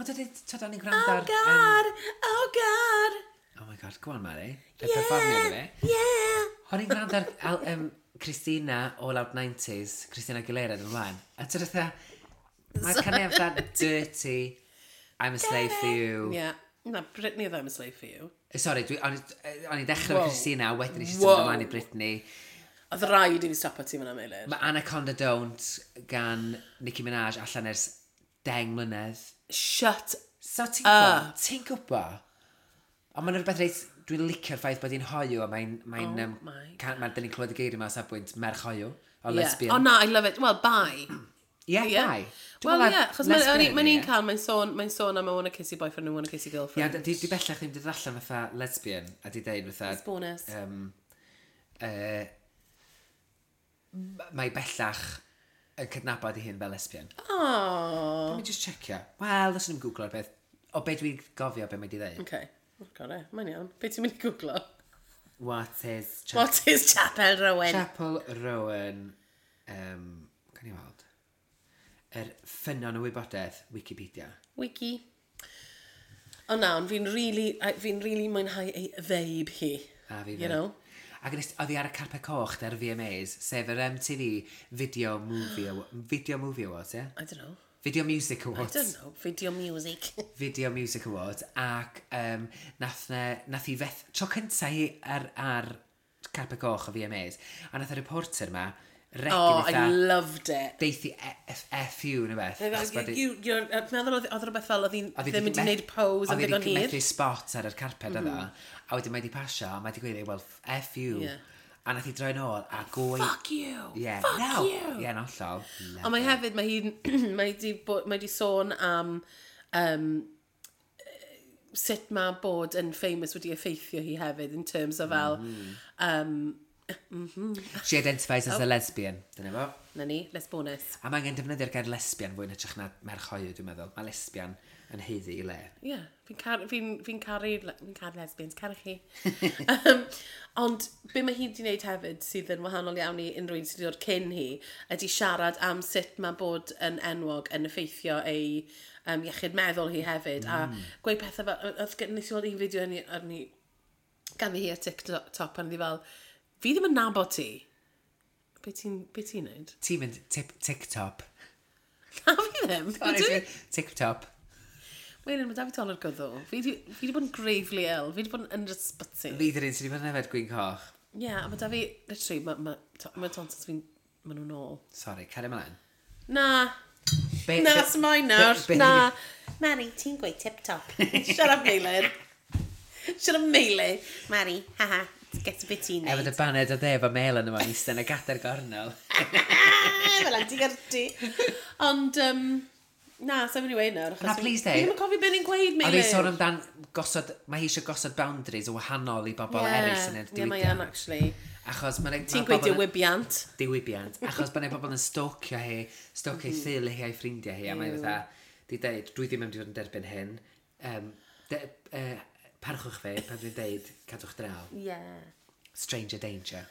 Ond ydy, tyd, o'n i'n gwrando Oh ar... yym, god, oh god, Oh my god, go on, Mari. Y perfformio yeah, iddo fi. yeah. O'n i'n gwrando ar al, um, Christina o Loud nineties, Christina Aguilera yn ymlaen. A ti'n fatha, mae'r caniad fatha Dirty, I'm a Slave for You. Yeah. Na, Britney oedd I'm a Slave for You. Eh, Sorry, dwi, o'n i- o'n i'n dechrau efo Whoa. Christina, a wedyn eisiau Whoa. symud ymlaen i Britney. Oedd rhaid i fi stopo ti fyna, Meilir. Mae Anaconda Don't gan Nicki Minaj allan ers deng mlynedd. Shut So ti'n gwybod? Ti'n gwybod? Ond mae'n rhywbeth reit, dwi'n licio'r ffaith bod hi'n hoyw a mae'n... Mae'n, Oh um, my can, ma, dyn ni'n clywed y geiriau yma o safbwynt merch hoyw, o Yeah. lesbian. Oh na, I love it. Well, bi. Ie, Yeah. bi. Dwi'n Wel, meddwl ie, achos mae'n lesbian ma ydi, ni'n ie. cael, mae'n sôn, mae'n sôn am I want a kissy boyfriend and I want a kissy Ie, girlfriend. di, di bellach ddim di dod allan fatha lesbian, a di deud fatha... It's bonus. Um, uh, mae bellach yn cydnabod ei hun fel lesbian. Oh. Let me just checio. Wel, os ni'n googlo'r beth. O be dwi'n gofio be mae di ddeud. Okay. Oh, got it. Mae'n iawn. Be ti'n mynd i googlo? What is Chapel, What is Chappell Rowan? Chappell Rowan? Um, Can i weld? Yr ffynnon o wybodaeth, Wikipedia. Wiki. O na, ond fi'n really, fi'n really mwynhau ei vibe hi. A fi You fyd. know? Ac nes, oedd hi ar y carpet coch der V M As, sef yr M T V Video Movie, Awa- Video Movie Awards, ie? Yeah? I don't know. Video Music I Awards. don't know. Video music. Video Music Awards. Ac um, nath, ne, nath hi feth... Tro cynta hi ar, ar carpet coch o V M As. A nath y reporter ma regu Oh, I fatha loved it. Deithi F, F U neu beth. Achos bod hi- You, you're, uh, meddwl oedd oedd rhywbeth fel oedd hi'n Oedd hi ddim 'di wedi met- gwneud pose yn oedd hi ddigon 'di hir. methu spot ar yr carpet mm -hmm. A wedyn mae di pasio, a mae di gweud, "Well, F you." Yeah. A nath hi droi nôl a gwy... Fuck you! Yeah. Fuck No. you! Ie, yn hollol. Ond mae hefyd, mae hi'n, mae di, bo, mae di sôn am um, sut mae bod yn famous wedi effeithio hi hefyd in terms of fel, Mm. um, She identifies Oh. as a lesbian. Dyna fo. Na ni, let's bonus. A mae angen defnyddio'r gair lesbian fwy yn hytrach na merch hoyw, dwi'n meddwl. Mae lesbian yn haeddu ei le. Ie, yeah, fi'n car, fi fi caru, fi'n caru lesbians, caru chi. um, ond be mae hi wedi wneud hefyd sydd yn wahanol iawn i unrhyw un sydd wedi dod cyn hi, ydy siarad am sut mae bod yn enwog yn effeithio ei um, iechyd meddwl hi hefyd. Mm. A gweud pethau fel, oedd gen- nes i weld un fideo arni, arni ganddi hi ar TikTok pan oedd hi fel, "Fi ddim yn nabod ti. Be ti'n be ti'n neud?" Ti'n mynd tip, TikTok. Na, fi ddim. Ydw i? TikTok. Wait, mae da fi dolur gwddw. Fi di, fi di bod yn gravely ill. Fi di bod yn yr ysbyty. Fi di'r un sydd wedi bod yn yfed gwin coch. Ie, yeah, a mae da fi, literally, mae ma, to- ma tonsils fi'n, ma nhw'n ôl. Sorry, cario ymlaen. Na, Be, na, be- smaen nawr, be- be- na. Mari, ti'n gweud tip-top. Shut up, Meilir. Shut up, Meilir. Mari, haha, get a bit ti'n Efo neud. dy baned o de, efo mel yn yma, eistedd yn y gadair gornel. Fel anti-gyrti. Ond, um, na, sa'n mynd i weud nawr. achos Na, fi- please Fi deud. ddim yn cofio beth ni'n gweud, Oedd Meilir. hi'n sôn amdan gosod, mae hi eisiau gosod boundaries o wahanol i bobl yeah. eraill sy'n y Ie, mae yn, diwydiant. actually. Achos mae'n Ti'n gweud diwybiant. Diwybiant. Achos mae pobl yn stalkio hi, stalkio mm. theulu hi a'i ffrindiau hi, a mae'n fatha, di deud, "Dwi ddim yn mynd i fod yn derbyn hyn. Um, de, uh, parchwch fi pan dwi'n deud, cadwch draw." Yeah. Stranger danger.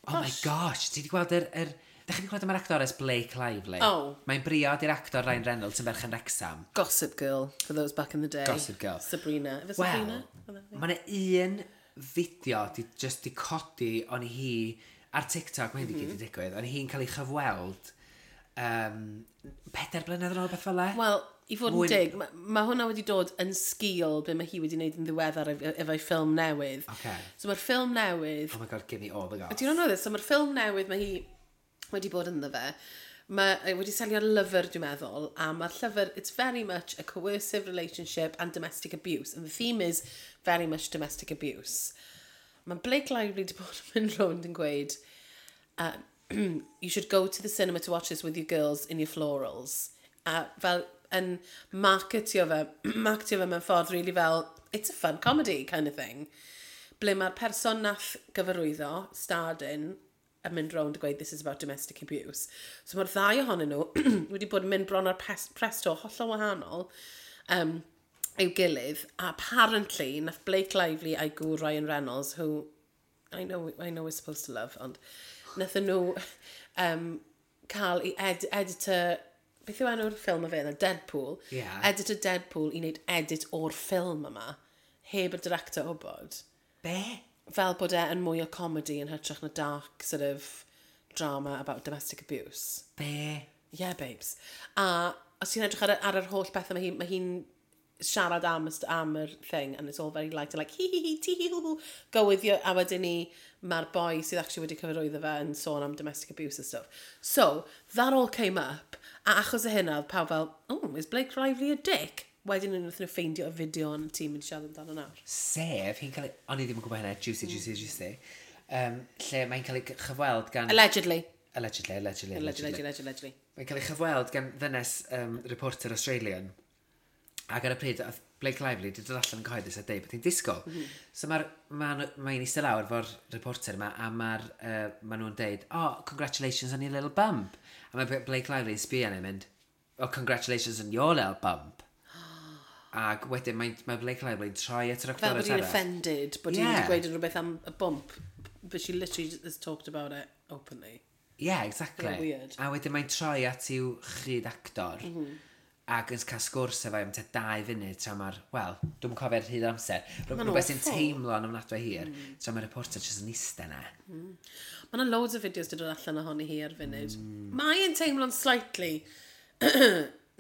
Oh my gosh, ti wedi gweld yr... yr Dach chi wedi gweld am yr actores Blake Lively? Oh. Mae'n briod i'r actor Ryan Reynolds yn berchen Wrexham. Gossip Girl, for those back in the day. Gossip Girl. Sabrina. Efe Wel, Sabrina? Oedd e? mae yna un fideo di just di codi o'n hi ar TikTok, mae hyn di gyd i digwydd, o'n hi'n cael ei chyfweld um, pedair blynedd yn ôl, beth fel e? Wel, i fod yn Mwy- dig, mae ma hwnna wedi dod yn sgil be mae hi wedi wneud yn ddiweddar ef- efo'i ffilm newydd. Ocê. So mae'r ffilm newydd. Oh my God, give me all the goss. Do you not know this? So mae'r ffilm newydd mae hi wedi bod ynddo fe. Mae e wedi selio ar lyfr, dwi'n meddwl, a mae'r llyfr, it's very much a coercive relationship and domestic abuse. And the theme is very much domestic abuse. Mae Blake Lively wedi bod yn mynd rownd yn gweud, uh, "You should go to the cinema to watch this with your girls in your florals." A fel yn marketio fe, marketio fe mewn ffordd really fel, it's a fun comedy kind of thing. Ble mae'r person nath gyfarwyddo, starred in, yn mynd rownd a gweud, "This is about domestic abuse." So mae'r ddau ohonyn nhw wedi bod yn mynd bron ar pes- presto hollol wahanol um, i'w gilydd. A apparently, nath Blake Lively a'i gŵr Ryan Reynolds, who I know, I know we're supposed to love, ond nathon nhw um, cael ei ed editor, beth yw enw'r ffilm y fe, yna, Deadpool. Ie. Editor Deadpool i wneud edit o'r ffilm yma, heb y director wybod. Be? Fel bod e yn mwy o comedy yn hytrach na dark sort of drama about domestic abuse. Be? Yeah, babes. A os ti'n edrych ar, y- ar yr holl bethau, mae hi'n mae hi'n siarad am, y st- am yr thing, and it's all very light, and like, hi hi hi, ti hi hw hw, go with you, a wedyn ni, mae'r boi sydd actually wedi cyfarwyddo fe yn sôn am domestic abuse and stuff. So, that all came up, a achos o hynna, oedd pawb fel, "Oh, is Blake Lively a dick?" Wedyn nhw'n nhw ffeindio y fideo yn y tîm yn siarad amdano nawr. Sef, hi'n cael ei... O'n i ddim yn gwybod hynna, juicy, juicy, juicy. Um, lle mae'n cael ei chyfweld gan... Allegedly. Allegedly, allegedly, Allegedly, allegedly. allegedly, allegedly. Mae'n cael ei chyfweld gan ddynes um, reporter Australian. Ac ar y pryd, oedd Blake Lively wedi dod allan yn cyhoeddus a deud bod hi'n disgwyl. Mm -hmm. So mae'r ma, mae'n eistedd lawr efo'r reporter yma a mae'r, uh, ma nhw'n deud, "Oh, congratulations on your little bump." A mae Blake Lively yn sbio arni mynd, "Oh, congratulations on your little bump." Ac wedyn mae, mae Blake Lively'n troi at yr Fel actores bod hi'n arall. offended, bod hi'n Yeah. wedi gweud rhywbeth am y bump, but she literally has talked about it openly. Yeah, exactly. Yeah, weird. A wedyn mae'n troi at i'w chyd actor mm -hmm. ac yn cael sgwrs efo am tua dau funud tra mae'r, wel, dwi'n cofio'r hyd amser. Ma'n Rhywbeth sy'n awful. teimlo yn ofnadwy hir, mm. tra mae'r reporter jyst yn eistedd na. Mae yna loads o fideos wedi dod allan ohoni hi ar funud. Mm. Mae'n teimlo'n slightly,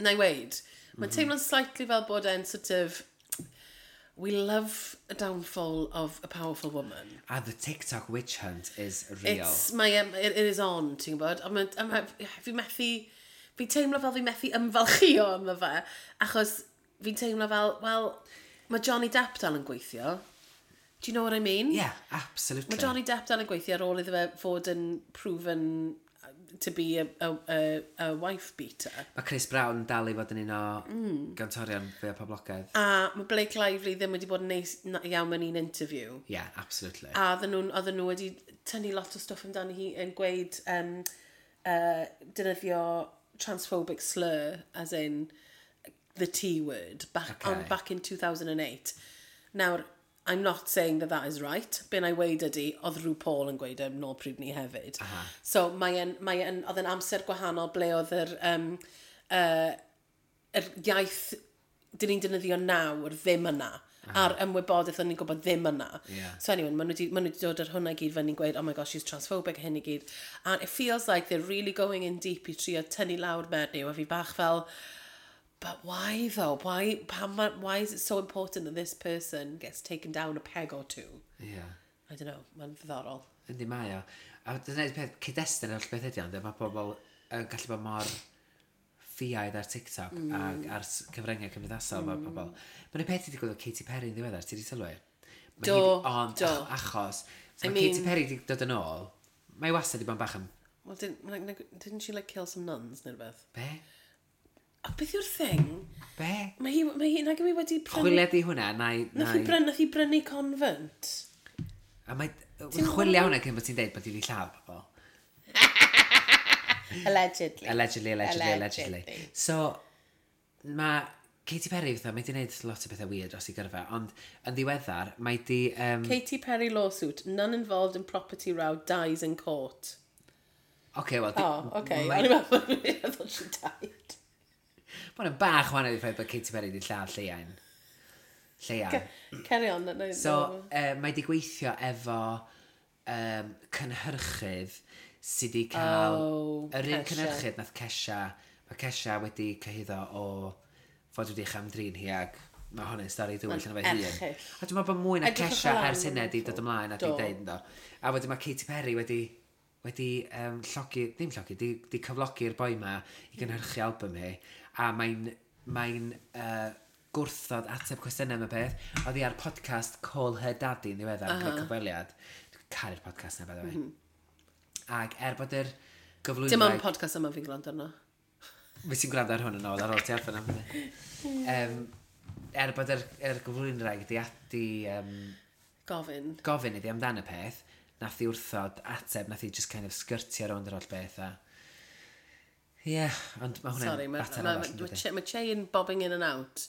na i weid, mae'n teimlo'n slightly fel bod e'n sort of, we love a downfall of a powerful woman. A the TikTok witch hunt is real. It's, mae, um, it, it is on, ti'n gwybod? A ma, a ma, fi methu, fi'n teimlo fel fi methu ymfalchio yma fe, achos fi'n teimlo fel, wel, mae Johnny Depp dal yn gweithio. Do you know what I mean? Yeah, absolutely. Mae Johnny Depp dal yn gweithio ar ôl iddo fe fod yn proven to be a, a, a, a wife beater. Mae Chris Brown dal i fod yn un o mm. gantorion fwy o poblogaidd. A mae Blake Lively ddim wedi bod yn neis na- iawn mewn un interview. Yeah, absolutely. A oedden nhw, oedden nhw wedi tynnu lot o stwff amdani hi yn gweud um, uh, defnyddio transphobic slur, as in the T word, back, Okay. on, back in two thousand eight. Nawr, I'm not saying that that is right. Be na i weid ydy, oedd rhyw Paul yn gweud e nôl pryd ni hefyd. Aha. So mae yn, mae yn, oedd yn amser gwahanol ble oedd yr, um, uh, yr iaith dyn ni'n defnyddio nawr ddim yna. A'r ymwybodaeth o'n ni'n gwybod ddim yna. Yeah. So anyway, maen nhw wedi, maen nhw wedi dod ar hwnna i gyd fyny'n gweud, "Oh my gosh, she's transphobic," a hyn i gyd. And it feels like they're really going in deep i trio tynnu lawr menyw, a fi bach fel, but why though? Why, pam, ma- why is it so important that this person gets taken down a peg or two? Yeah. I don't know, mae'n ddiddorol. Yndi mae o. A dyna'r peth, cyd-destun yr holl beth ydi ond, mae pobl yn gallu bod mor ffiaidd ar TikTok mm. ac ar s- cyfryngau cymdeithasol mm. mae pobl. Mae'n y peth i digwydd o Katy Perry yn ddiweddar, ti wedi sylwi? Mae Do, hi 'di- Ond do. ach- achos, so I mae Katy mean- Perry wedi dod yn ôl, mae wastad wedi bod yn bach yn, Well, didn't, like, didn't she like kill some nuns neu rhywbeth? Be? A beth yw'r thing? Be? Mae hi, mae hi, nag yw hi wedi prynu... Chwilio di hwnna, na i... Nath hi brynu, nath hi brynu convent. A mae... Chwilio hwnna cyn bod ti'n deud bod hi wedi lladd pobl. Allegedly. Allegedly, allegedly, allegedly. Allegedly. So, mae Katy Perry fatha, mae di wneud lot o bethau weird dros ei gyrfa, ond yn ddiweddar, mae di... Um, Katy Perry lawsuit. Nun involved in property row dies in court. Oce, wel... di- Oh, okay. Mae O'n i'n meddwl, I thought she died. ma' hwnna'n bach wahanol i'r ffaith bod Katy Perry wedi lladd lleian. Lleian. Carry on. No, So, uh, mae di gweithio efo um, cynhyrchydd sydd wedi cael... Oh, yr un Kesha. cynhyrchydd nath Kesha. Mae Kesha wedi cyhuddo o fod wedi chamdrin hi ac mae hwnna'n stori dywyll yn efo'i hun. Erchyll. A dwi'n meddwl bod mwy na Edrychwch Kesha lan ers hynna wedi dod ymlaen a di Do. deud ynddo. A wedyn mae Katy Perry wedi wedi um, llogi, ddim llogi, di, di cyflogi'r boi ma i gynhyrchu album hi. A mae'n mae'n uh, gwrthod ateb cwestiynau am y peth. Oedd hi ar podcast Call Her Daddy yn ddiweddar, uh -huh. gyda cyfweliad. Dwi'n caru'r podcast na, by the way. Mm -hmm. Ac er bod yr gyflwynwraig... Dim ond podcast yma fi'n gwrando arno. Fi ti'n gwrando ar hwn yn ôl ar ôl ti allan am hynny. Um, er bod yr, yr gyflwynwraig di, di um, Gofyn. Gofyn iddi amdan y peth, nath hi wrthod ateb, nath hi just kind of sgyrtio rownd yr holl beth a... Ie, yeah, ond mae hwnna'n Sorry, mae fater ma, arall, ma, yn ma, dydi? Che- ma Che yn bobbing in and out.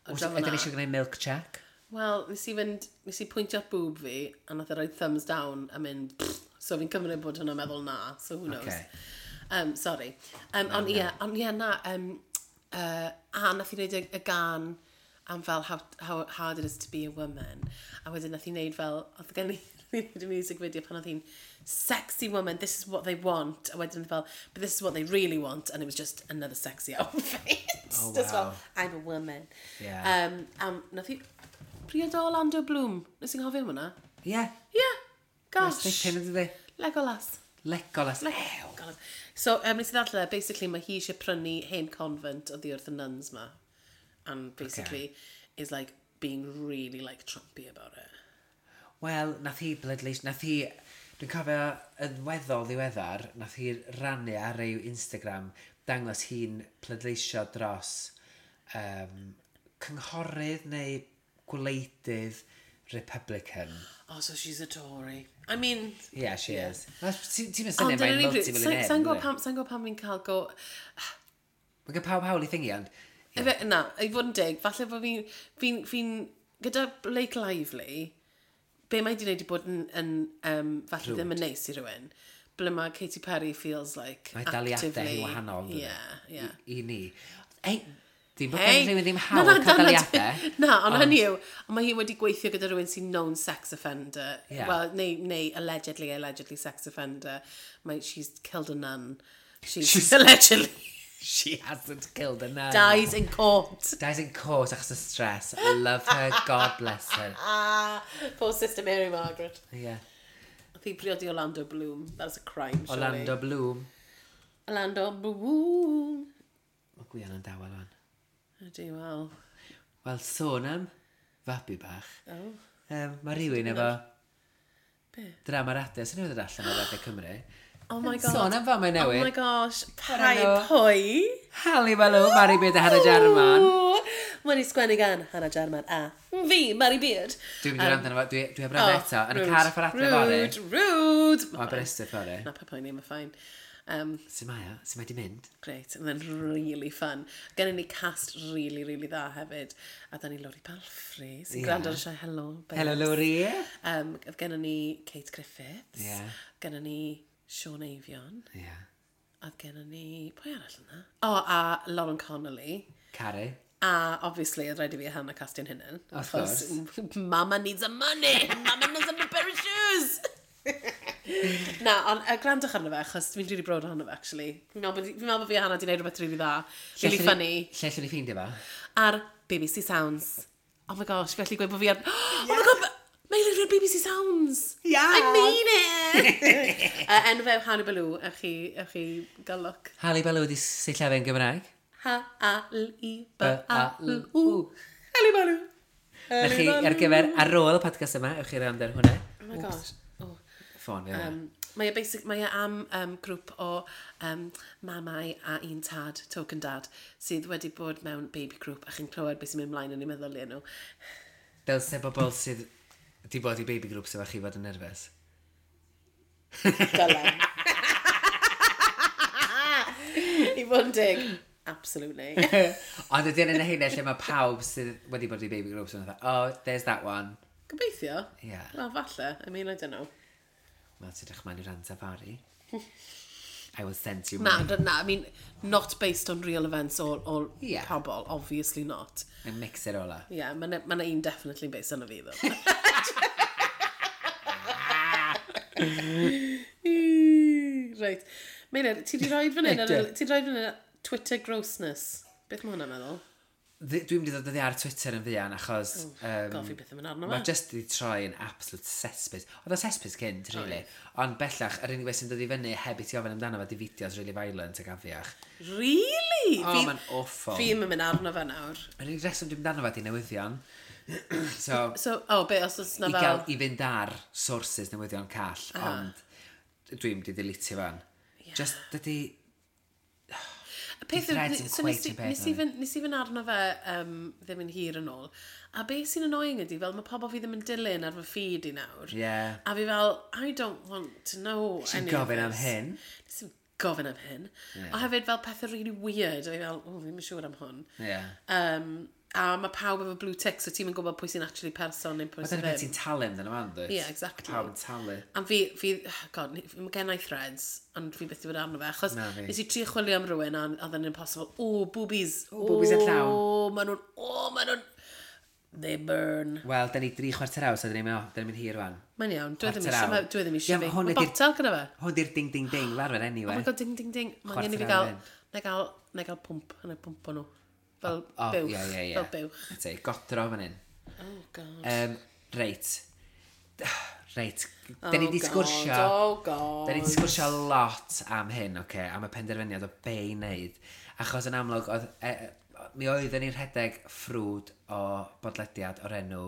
O Oes- draw Ydyn fan'na. ni eisiau gwneud milk check? Wel, nes i fynd, nes i pwyntio at boob fi, a nath e roi thumbs down a mynd, pfft. So fi'n cymryd bod hwnna'n meddwl na, so who knows. Okay. Um, sorry. Um, ond ie, ond ie, na, um, uh, a nath i wneud y, y gan am fel how, how hard it is to be a woman. A wedyn nath i wneud fel, oedd gen i Hi'n gwneud y music video pan oedd hi'n sexy woman, this is what they want. A wedyn oedd fel, but this is what they really want. And it was just another sexy outfit. Oh, Just fel, wow. I'm a woman. Yeah. Um, um, nath hi priod o Orlando Bloom. Nes i'n cofio am hwnna? Yeah. Yeah. Gosh. Dipyn yn dydi? Legolas. Legolas. Legolas. So, um, nes i ddarllen, e, basically mae hi eisiau prynu hen convent oddi wrth y nuns ma. And basically okay. is like being really like Trumpy about it. Wel, nath hi bleidleis, nath hi, dwi'n cofio yn weddol ddiweddar, nath hi rannu ar ei Instagram dangos hi'n pleidleisio dros um, cynghorydd neu gwleidydd Republican. Oh, so she's a Tory. I mean... Yeah, she yeah. is. Ti'n mynd Ond syniad yn mae'n yr un bryd, multi-millionaire. Sa'n gwybod pam, sa'n gwybod pam fi'n cael go... Mae gen pawb hawl i thingy, ond... Yeah. Na, i fod yn deg, falle bod fi'n... Fi'n... Fi gyda Blake Lively, be mae di wneud i bod yn, yn um, falle ddim yn neis i rhywun, ble mae Katy Perry feels like Mae daliadau actively... hi'n wahanol. yndydi? Yeah, yeah. I, i ni. Ei, ddim bod Hey! gen rhywun ddim Na, hawl na, cael na, na, daliadau. Na, ond hynny yw, ond mae hi wedi gweithio gyda rhywun sy'n known sex offender. Yeah. Well, neu, neu allegedly, allegedly sex offender. Mae, she's killed a nun. She's, She's- allegedly She hasn't killed a nun. dies in court. Dies in court achos y stress. I love her. God bless her. Ah, poor sister Mary Margaret. Yeah. Oedd hi briodi Orlando Bloom. That's a crime, surely. Orlando Bloom. Orlando Bloom. Mae Gwion yn dawel o'n. Ydy, wel. Wel, sôn am fabi bach. Oh. Um, mae rhywun efo Be? drama radio. Sy'n newydd ddod allan o Radio Cymru. Oh my god. Sôn am famau Oh newydd. my gosh. Pai enw? pwy? Hali Balw, Mari Beard a Hannah Jarman. Wedi sgwennu gan Hannah Jarman a fi, Mari Beard. Dwi'n mynd i wrando arno fo, dwi, dwi heb wrando eto. Yn y car a ffordd adre fory. Rude, rude. O, Aberystwyth fory. Na, pa poeni, mae fine. Um, Sut mae o? Sut mae di mynd? great, and then really fun. Gennym ni cast really, really dda hefyd. A da ni Lori Palfrey, sy'n Ie. yeah. gwrando ar y sioe Hello. babes. Hello, Lori. Um, gennym ni Kate Griffiths. Ie. Gennym ni Sean Avion. Ie. Yeah. A gennym ni... Pwy arall yna? O, oh, a Lauren Connolly. Caru. A obviously, oedd rhaid i fi a Hannah castio'n hunain. Of Achos Mama needs a money! Mama needs a new pair of shoes! Na, ond uh, gwrandwch arno fe, achos dwi'n really proud ohono fe, actually. Fi'n meddwl bod fi'n meddwl bod fi a Hannah di wneud rhywbeth really dda. Really funny. Lle allwn ni ffeindio fo? Ar B B C Sounds. Oh my gosh, felly gweud bod fi ar... Oh my God, Meilir ar B B C Sounds! Yeah. I mean it! uh, enw fe yw Hannah Baloo, ewch chi, ewch chi gael look. Hali Balw wedi sillafu yn Gymraeg. H A L I B A L U. Hali Baloo. Na chi, ar gyfer, ar ôl y podcast yma, ewch chi rand ar hwnna. Oh my gosh. Oh. Ffôn fi. Um, mae e basic, mae e am um, grŵp o um, mamau a un tad, token dad, sydd wedi bod mewn baby group a chi'n clywed beth sy'n mynd mlaen yn eu meddyliau nhw. Dylse bobl sydd di bod i baby groups efo chi fod yn nerfus. Dylen. I fod yn dig. Absolutely. Ond ydy yn hynny lle mae pawb sydd wedi bod i baby groups yn fatha, "Oh, there's that one." Gobeithio. Yeah. Wel, falle. I mean, I don't know. Wel, ti'n edrych mlaen i rant safari. I will send you Na, mine. na, na, I mean, not based on real events or, or Yeah. pobl, obviously not. And mix it all up. Yeah, mae ma na un definitely based on fi, though. Reit. Meilir, ti di rhoi fan hyn, ar y- ti di rhoi fan hyn Twitter grossness. Beth mae hwnna'n meddwl? Dwi- Dwi'n mynd i ddod oddi ar Twitter yn fuan achos... Um, God, fi byth yn mynd arno Mae fe. just di troi yn absolute cesspit. Oedd o cesspit cynt, really. Ond bellach, yr unig beth sy'n dod i fyny heb i ti ofyn amdano fo di fideos really violent ac afiach. Really? Oh, Fi- mae'n awful. Fi ddim yn mynd arno fe nawr. Yr unig reswm dwi'n mynd arno fo di newyddion. So, So, oh, be, os oes na i fel... gael, i fynd ar sources newyddion call, ond dwi'n mynd i deletio fan. Yeah. Just, dydy... Y peth yw, Threads yn so nes cweit i y peth nes i fynd nes i fynd arno fe um, ddim yn hir yn ôl. A beth sy'n annoying ydy, fel mae pobl fi ddim yn dilyn ar fy feed i nawr. Yeah. A fi fel, I don't want to know Ti'n any of gofyn am this. hyn. Nes i'm gofyn am hyn. Yeah. A hefyd fel pethau really weird. A fi fel, oh, fi'n siŵr am hwn. Yeah. Um, a mae pawb efo blue tick, so ti'n yn gwybod pwy sy'n actually person neu pwy Mae sy'n dyna beth ddim. ti'n talu amdano fan, dwyt? Yeah, exactly. Pawb yn talu. A fi, fi, god, mae gen i Threads, ond fi byth wedi bod arno fe, achos Na fi. nes i trio chwilio am rhywun a oedd yn impossible. O, boobies. O, boobies yn llawn. O, maen nhw'n, o, maen nhw'n, They burn. Wel, da ni dri chwarter awr, so da ni'n mynd, da ni'n mynd hir rwan. Mae'n iawn, dwi ddim Chwarter eisiau, awr. dwi ddim Ie, eisiau ma' fi. hwn Mae ydi'r- botel gyda fe. Hwn di'r ding ding ding fel arfer anyway. Oh my God, ding ding ding. Mae angen i fi Chwarter gael, awr in. na gael, na gael pwmp, na pwmp o nhw. Fel O, buwch. ie, ie, ie. Fel buwch. Te, godro fan hyn. Oh God. Um, reit. Reit. Da ni Oh, di God, sgwrsio... Oh God. Da ni di sgwrsio lot am hyn, oce, okay, am y penderfyniad o be i wneud. Achos yn amlwg, oedd, e, mi oedden ni'n rhedeg ffrwd o bodlediad o'r enw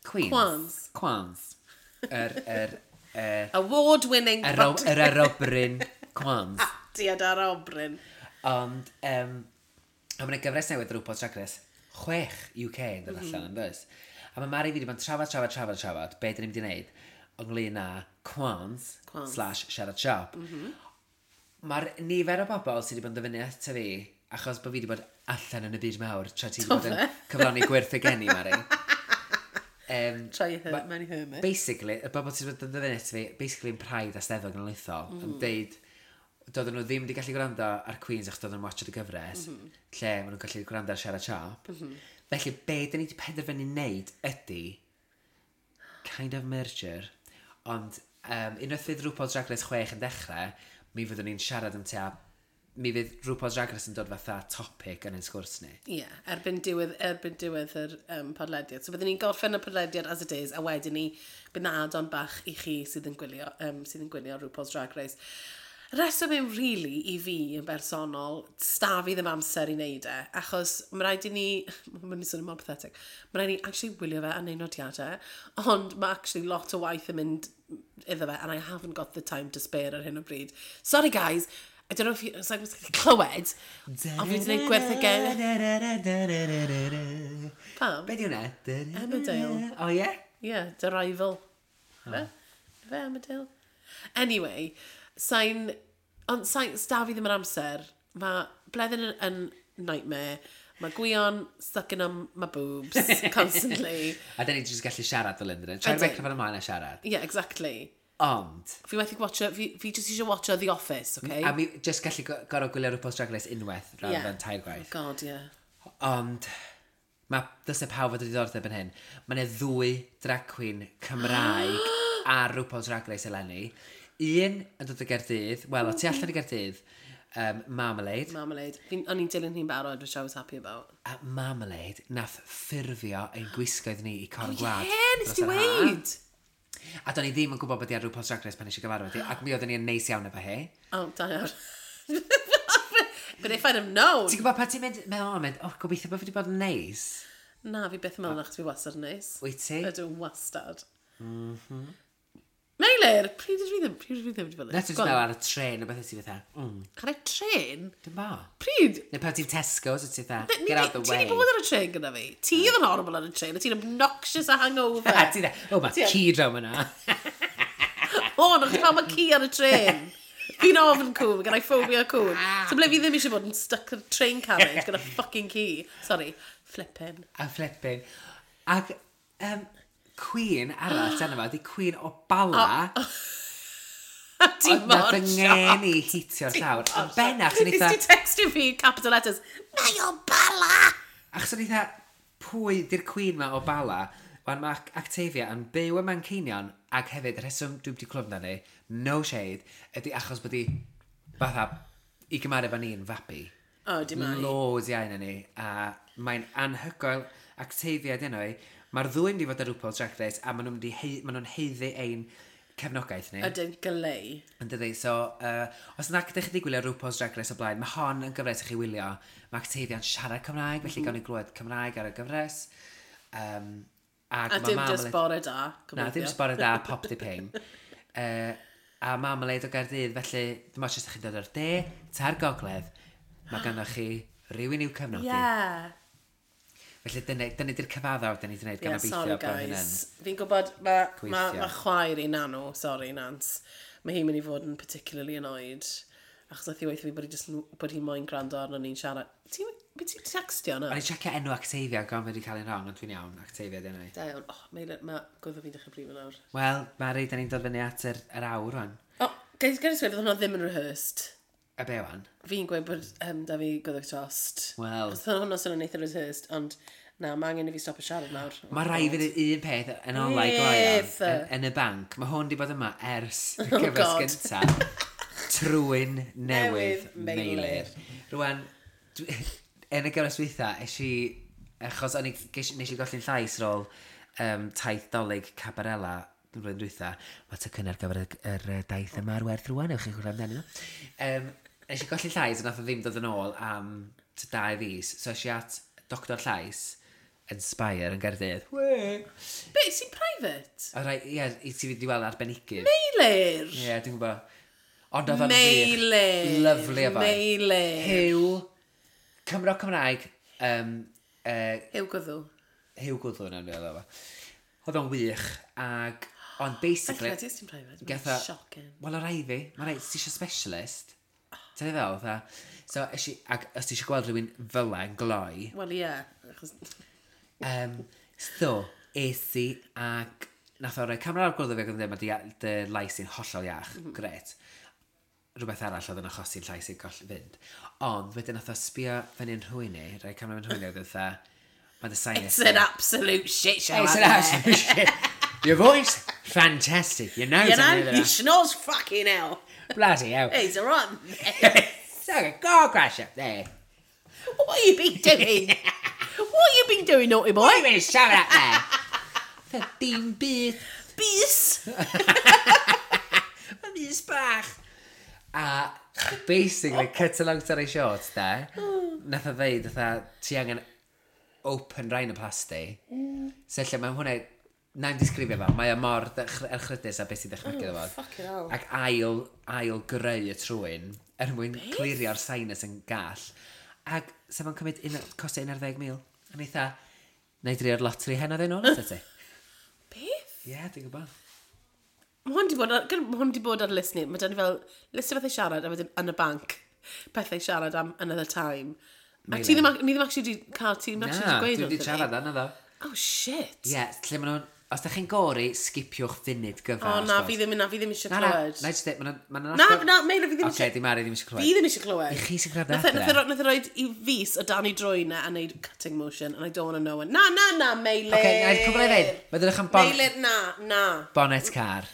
Queens. Quans. Quans. Yr, yr, yr, Award-winning yr, yr arobryn Quans. Diad ar obryn. Ond, um, a mae'n gyfres newydd RuPaul's Drag Race, chwech U K yn dod allan, yn does? A mae Mari fi wedi bod yn trafod, trafod, trafod, trafod, be dyn ni'n mynd i wneud ynglyn â Quans, Quans. slash Siarad Siop. Mm -hmm. Mae'r nifer o bobl sydd wedi bod yn dyfynnu ato fi, achos bod fi wedi bod allan yn y byd mawr, tra ti wedi bod yn Do fe? cyflawni gwyrth y geni, Mari. Um, Try her, Ma- mewn i hermit. Basically, y bobl sydd wedi bod yn dyfynnu ato fi, basically yn Pride a Steddfod Genedlaethol, mm. yn deud, doedden nhw ddim wedi gallu gwrando ar Queens achos doedden nhw'n watchad y gyfres, mm -hmm. lle maen nhw'n gallu gwrando ar Siarad Siop. Mm -hmm. Felly, be dyn ni wedi penderfynu wneud ydy kind of merger, ond um, unwaith fydd RuPaul's Drag Race chwech yn dechrau, mi fyddwn ni'n siarad am tua, mi fydd RuPaul's Drag Race yn dod fatha topic yn ein sgwrs ni. Ie, yeah, erbyn diwedd, erbyn diwedd yr um, podlediad. So byddwn ni'n gorffen y podlediad as it is, a wedyn ni, bydd na add-on bach i chi sydd yn gwylio, um, sydd yn gwylio RuPaul's Drag Race. Reswm yw really i fi yn bersonol, sta fi ddim amser i wneud e, achos mae rhaid i ni, mae'n swnio mor pathetic, mae rhaid i ni actually wylio fe a neud nodiadau, ond mae actually lot o waith yn mynd iddo fe, and I haven't got the time to spare ar hyn o bryd. Sorry guys, I don't know if you, it's like, clywed, ond fi wedi gwneud gwerth y gen. Pam? Be di hwnna? Emmerdale. O ie? Yeah, The Rival. Fe? Fe Emmerdale? Anyway, sa'n... Ond sa'n... Sta fi ddim yn amser. Mae Bleddyn yn, yn nightmare. Mae Gwion stuck in on my boobs constantly. A da ni jyst gallu siarad fel undyn. Troi'r Ydyn. microphone ymlaen a siarad. Yeah, exactly. Ond, Fi methu watcho, fi, fi just eisiau watcho The Office, okay? a mi jyst gallu go- gorfod gwylio RuPaul's Drag Race unwaith, rhan Yeah. yeah. tair gwaith. God, yeah. Ond, mae dylse pawb fod o diddordeb yn hyn. Mae yna ddwy drag queen Cymraeg ar RuPaul's Drag Race eleni. Un yn dod o Gaerdydd, wel, o tu allan i Gaerdydd, um, Marmalade. Marmalade. Fi'n- O'n i'n dilyn hi'n barod, which I was happy about. A Marmalade nath ffurfio ein gwisgoedd ni i Corn Oh, Gwlad yeah, nes dros ti yr ha. weid? A do'n i ddim yn gwybod bod hi ar RuPaul's Drag Race pan eisiau gyfarfod hi, ac mi oedden ni yn neis iawn efo hi. Oh, da iawn. But if I'd have known. Ti'n gwybod pan ti'n mynd, meddwl, oh, mynd, oh, gobeithio bod fi wedi bod yn neis. Na, fi byth yn meddwl achos fi wastad yn neis. Wyt ti? Ydw, wastad. Mm -hmm. Meilir, pryd ydw i ddim, pryd ydw i ddim wedi bod yn Na, ti'n Go on. meddwl ar y tren o beth ti'n fatha, mm, Ar y tren? dim bo. Pryd? Neu pan ti'n Tesco's, wyt ti'n fatha, Ni get out di- the Ti way. di bod ar y tren gyda fi. Ti oedd yn horrible ar y tren, a ti'n obnoxious a hangover. A ti'n fatha, oh, mae Ti- ci draw yna. O, no, chdi pam mae ci ar y tren. Fi'n ofn cŵn, mae gen i phobia cŵn. So ble fi ddim eisiau bod yn stuck ar train carriage gyda fucking ci. Sorry, flipping. A flipping. Ac, um, Queen arall, dyna fo, di Queen o Bala. Ti Ond mor nath yng shocked. ngeni hitio'r llawr. Yn bennaf, achos o'n Nes eitha... ti textio fi capital letters, "Mae o Bala!" Achos o'n eitha, pwy di'r Queen ma o Bala? Wan mae Octavia yn byw ym Manceinion, ac hefyd, y rheswm dwi wedi clywed amdani, no shade, ydy achos bod hi, fatha, i gymharu efo ni'n fabi. O, di mai. Loads iau na ni, a mae'n anhygoel. Octavia dyn nhw. Mae'r ddwy mynd i fod ar RuPaul's Drag Race, a maen nhw'n mynd i hei, maen nhw'n haeddu ein cefnogaeth ni. Ydyn glei. Yn dydi, so, uh, os nag ydych chi wedi gwylio RuPaul's Drag Race o blaen, mae hon yn gyfres i chi wylio. Mae Octavia'n siarad Cymraeg, felly mm -hmm. gawn ni glywed Cymraeg ar y gyfres. Um, ac A ma' dim Marmalade- just bore da. Na, dim just bore da, pop di ping. Uh, a Marmalade o Gaerdydd, felly, dim ots os ydych chi'n dod o'r de, ta'r gogledd, mae ganddo chi rhywun i'w cefnogi. Yeah. Felly dyna, dyna di'r cyfaddawd da ni wedi gwneud gan Yeah, obeithio sorry bod hynny'n guys. Fi'n gwybod, mae ma, gweithio. ma chwaer i Nanw, sorry Nance, mae hi'n mynd i fod yn particularly annoyed. Achos nath hi weithio fi bod hi just, bod hi moyn gwrando arno ni'n siarad. Ti'n be ti'n textio na? O'n i'n checio enw Octavia, gan wedi cael ein wrong, ond dwi'n iawn, Octavia dyn nhw. Da iawn. Oh, mae ma gwddf fi'n dechrau brifo nawr. Wel, Mari, da ni'n dod fyny at yr, yr awr rwan. O, oh, guys, guys, gweud, fydd hwnna ddim yn rehearsed. A be wan? Fi'n gweud bod um, da fi gwddf tost. Wel. Achos oedd hwnna swnio'n eitha rehearsed, ond Na, mae angen i fi stopio siarad nawr. Oh Mae rai fi ddweud un peth yn olau gloion Beth? yn, yn y banc. Mae hwn di bod yma ers y Oh, gyfres God. gyntaf. Trwyn newydd Newydd Meilir. Meilir. Rwan, dwi- yn y gyfres dwytha, es i, achos o'n i, ges- nes i golli'n llais ar ôl um, taith Dolig Cabarella yn flwyddyn dwytha. Mae tocyn ar gyfer y, yr yy, daith yma ar werth rwan, ewch chi chwilio amdanyn nhw. Um, nes i golli llais a nath o ddim dod yn ôl am tua dau fis. So es i at Doctor Llais yn Spire yn Gaerdydd. Wee! Be, sy'n private? A rai, ie, i ti fynd i weld arbenigydd. Meilir! Ie, dwi'n gwybod. Ond oedd o'n wych. Meilir! Lovely o foi. Meilir! Huw, Cymro Cymraeg, um, uh, Huw Gwddw. Huw Gwddw na'n feddwl o fo. Oedd o'n wych, ag, ond basically... Felly, ti'n private. Gath Mae'n o- shocking. Wel, o rai fi. Mae rai, ti eisiau specialist. Ti'n fel, fatha. So, es i, ac os ti eisiau gweld rhywun fel yn gloi, Wel, ie. Achos... Um, so, es i ac nath o roi camera ar gwddw fi ac oedd yn dweud, mae dy, dy lais i'n hollol iach. Mm -hmm. Gret. Rhywbeth arall oedd yn achosi'n llais i'n goll fynd. Ond wedyn nath o sbio fyny'n rhywun i, rhoi camera fyny'n rhywun i, oedd fatha, mae dy sinus... It's an absolute shit show It's out an there. absolute shit. Your voice, fantastic. Your nose, You on the know, other you hand. snores fucking hell. Bloody hell. He's a rotten. It's like a car crash up there. What you been doing? What you been doing, naughty boy? What you been shoving up there? Fatha, Dim byd. Bys! Mae mis bach. A basically, cut a long story short, da, nath o ddeud, fatha, ti angen open rhinoplasty. Mm. So lle mae hwnna, na'n disgrifio fo, mae o mor ddech- erchrydus a beth sy'n dychmygu iddo fo. Fucking hell. Ac ail, ail greu y trwyn, er mwyn clirio'r sinus yn gall. Ac sef o'n cymryd un, costio un ar ddeg mil. A ni eitha, na i drio'r lottery heno ddyn nhw, ti? Beth? Ie, yeah, dwi'n gwybod. Mae hwn di bod ar, gyda- ma' hwn di bod ar list ni. Mae dyn ni fel list o bethau siarad a wedyn yn y banc. Pethau siarad am another time. A ti ddim, ac- ni ddim actually di cael, ti ddim actually Na, di gweud dwi wedi wrtho fi. trafod yna ddo. Oh, shit. Ie, yeah, lle maen nhw'n... Os da chi'n gori, skipiwch funud gyfa. O, na, fi ddim, na, fi ddim eisiau Na, na, clywed. na, jyst deud, ma' nhw'n- ma' nhw'n Na, agor- na, Meilir, fi ddim Ocê, eisiau... di Mari ddim eisiau Fi clywed. ddim eisiau clywed. I chi sy'n gwrando Nath e- adre. nath e ro- nath e roed i fus o dan i drwyn e a neud cutting motion and I don't want to know it. Na, na, na, Meilir. Ocê, na, cwbl i ddeud. Mae ddrych am bon- Meilir, na, na. Bonnet car.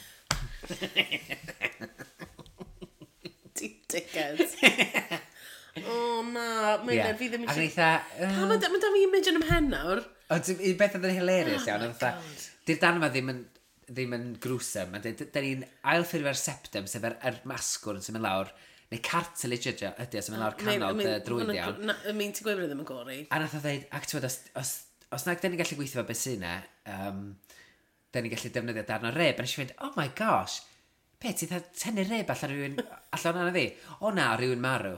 Ti dickhead. O, na, Meilir, Ie. fi ddim Ac yn eisiau... eitha... yy, Pam mae da fi image yn ymhen nawr? Ond un beth oedd yn hilarious Oh iawn, my oedd fatha, God. di'r dan yma ddim yn, ddim yn gruesome. Mae'n deud, da ni'n ailffurfio'r septum, sef yr, yr masgwrn sy'n mynd lawr, neu cartilage ydy o, ydy o, sy'n mynd lawr canol dy drwyn iawn. Na, I mean, ti'n gweud bod e ddim yn gori. A nath o ddeud, ac ti'n os, os, os nag da ni'n gallu gweithio fo beth sy'n e, um, da ni'n gallu defnyddio darn o rib. A nes i fynd, oh my gosh, be, ti'n dda tynnu rib allan rhywun, allan o'na fi? O na, rhywun marw.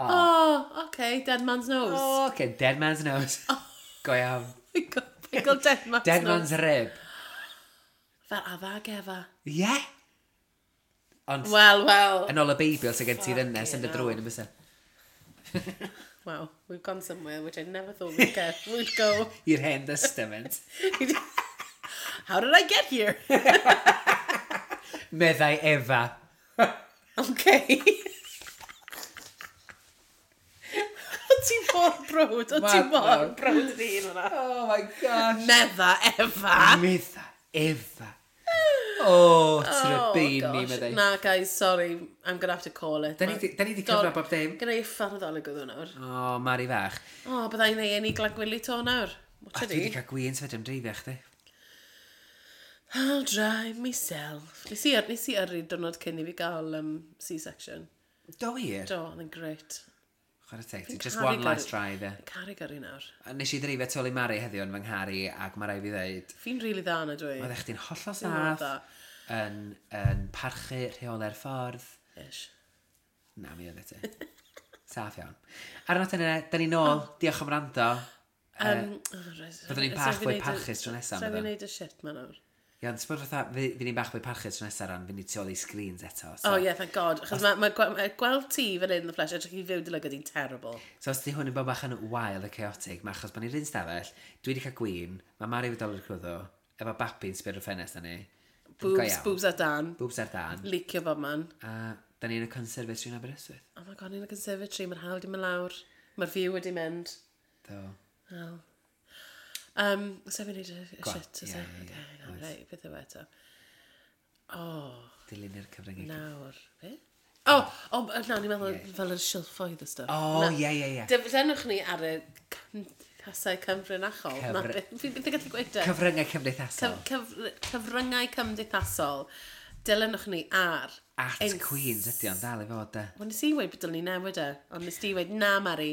Oh, okay, dead man's nose. Oh, okay, dead man's nose. Oh. Go iawn. My God, my God, dead man's Dead nose. man's rib. Fel afa gefa. Ie. Yeah. Ond, Wel, wel. yn ôl y Beibl sy'n gen ti'r ynnes yn dy Fucking drwyn yn bysa. Wow, we've gone somewhere which I never thought we'd get. We'd go. I'r hen testament. How did I get here? Meddai Efa. Okay. O ti mor browd, o ti Mad mor browd. browd yn un hwnna. Oh my gosh. Medda Efa. Medda Efa. Oh, trybini, gosh. meddai. Na, guys, sorry. I'm gonna have to call it. Da ni 'di- da ni 'di cyfro bob dim. Gyda i ffardd Nadolig oedd hwnna nawr. O, Mari fach. O, oh, bydda i'n ei enni Glangwili to nawr. A Watch dwi wedi it. cael gwyn sef am dreifio chdi. I'll drive myself. Nes i, nes i yrru diwrnod cyn i fi gael um, C-section. Do wir? Do, oedd yn great. Chwarae teg, ti Fi'n just caru one last gyrru- drive, ie. Caru gyrru nawr. A nes i ddreifio tu ôl i Mari heddiw yn fy ngharu ac mae rai fi ddeud, Fi'n rili dda na dwi. oeddech chdi'n hollol Fi'n mor saff, dda. yn, yn parchu rheolau'r ffordd. Ish. Na, mi oedd e ti. Saff iawn. Ar y nodyn yna, da ni nôl. Diolch am rando. Um, oh, right. Fyddwn ni'n bach fwy parchus tro nesa, Rhaid fi byddwn? wneud y shit ma nawr. Ie, ond ti'n bod fatha, fi, fi ni'n bach fwy parchus tro nesa ran, fi ni tu ôl i screens eto. So, Oh yeah, thank God. Achos mae ma, gwe- ma gweld ti fan hyn in the flesh, edrych i fyw dy lygad i'n terrible. So os di hwn yn bod bach yn wild a chaotic, mae achos bod ni'r un stafell, dwi wedi cael gwin, mae Mari wedi dod i'r cwddw, efo babi'n sbio ar y ffenest na ni. Go Boobs, iawn. boobs ar dan. Boobs ar dan. Leakio bob man. A da ni yn y conservatory yn Aberystwyth. Oh my God, ni'n y conservatory, mae'r hawl di mynd lawr. Mae'r view wedi mynd. Do. Oh. Um, so fi'n neud y y Go on. shit, oes Ie, e? ie, ie. Okay, hang on, Oes. reit, beth yw e eto? Oh, Dilyn i'r cyfryngau. nawr. Be? O, o, na, ni'n meddwl Ie. fel yr silffoedd y stuff. O, Na. ie, ie, ie. Dilynwch ni ar y cymdeithasau cyfrinachol. Na, Cyfr- beth- fi byth yn gallu gweud e. Cyfryngau cymdeithasol. Cyf, cyf, cyfryngau cymdeithasol. Dilynwch ni ar... At Ins- Queens ydi o'n dal i fod, de. Wel, nes i weud bod dylen ni newid e, ond nes di weud, na, Mari,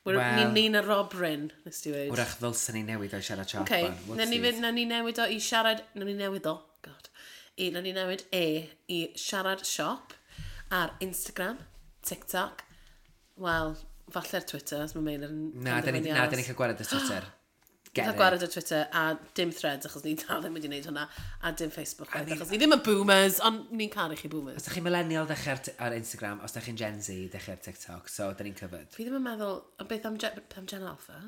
we're, Wel- ni'n ni'n y Robrin, nes di weud. Wrach ddylsen ni newid o'i siarad siop. Okay, wan. nawn ni, Whoopsies. fynd- nawn ni newid o i siarad, nawn ni newid o, god, i, nawn ni newid e i siarad siop ar Instagram, TikTok, wel, falle'r Twitter, os mae Meilir yn Na, da ni, penderfynu na, aros. da ni'n cael gwared y Twitter. Get Cael it. gwared ar Twitter a dim threads achos ni dal ddim wedi gwneud hwnna a dim Facebook I chwaith, mean- achos ni ddim yn boomers ond ni'n caru chi boomers. Os da chi'n millennial, dechrau ar, ar Instagram. Os da chi'n Gen Z, dechrau ar TikTok. So, da ni'n covered. Fi ddim yn meddwl, ond beth am, Gen, beth am Gen Alpha?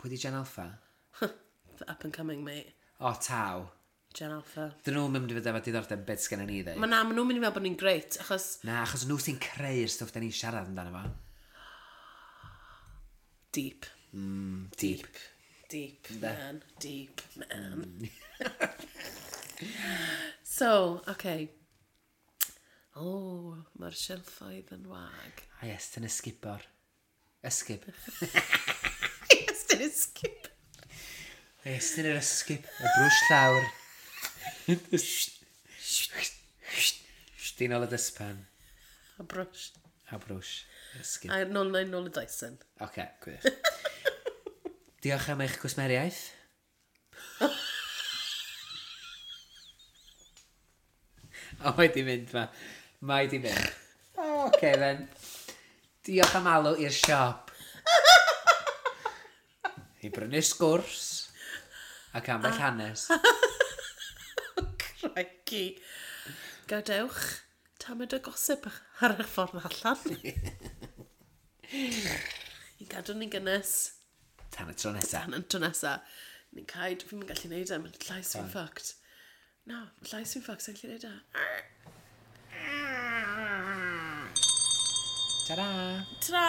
Pwy di Gen Alpha? The up and coming, mate. O, taw. Gen Alpha. Dyn nhw'n mynd i fod efo diddordeb beth sgen ni ddeud. Mae na, maen nhw'n mynd i meddwl bod ni'n great, achos Na, achos nhw sy'n creu'r stwff da ni'n siarad amdano fo. deep. Mm, deep. Deep, man. Deep, man. So, okay. Oh, mae'r silffoedd yn wag. A yes, dyn ysgubor. Ysgub. Yes, dyn ysgub. Yes, dyn yr ysgub. Y brwsh llawr. Dyn ôl y dyspan. A brwsh. A brwsh. Ysgub. A nôl neu nôl y Dyson. Oce, gwych. Diolch am eich gwsmeriaeth. O, mae di mynd ma. Mae di mynd. O, Oce, then. Diolch am alw i'r siop. I brynu sgwrs. Ac ambell hanes. Crikey. Gadewch tamed o gossip ar eich ffordd allan. I gadw ni'n gynnes. Tan y tro nesa. Tan y tro nesa. Ni'n caid, fi'n mynd gallu neud e, mae'n llais fi'n fucked. No, mae llais fi'n fucked, sa'n gallu neud e. Ta-ra! Ta-ra!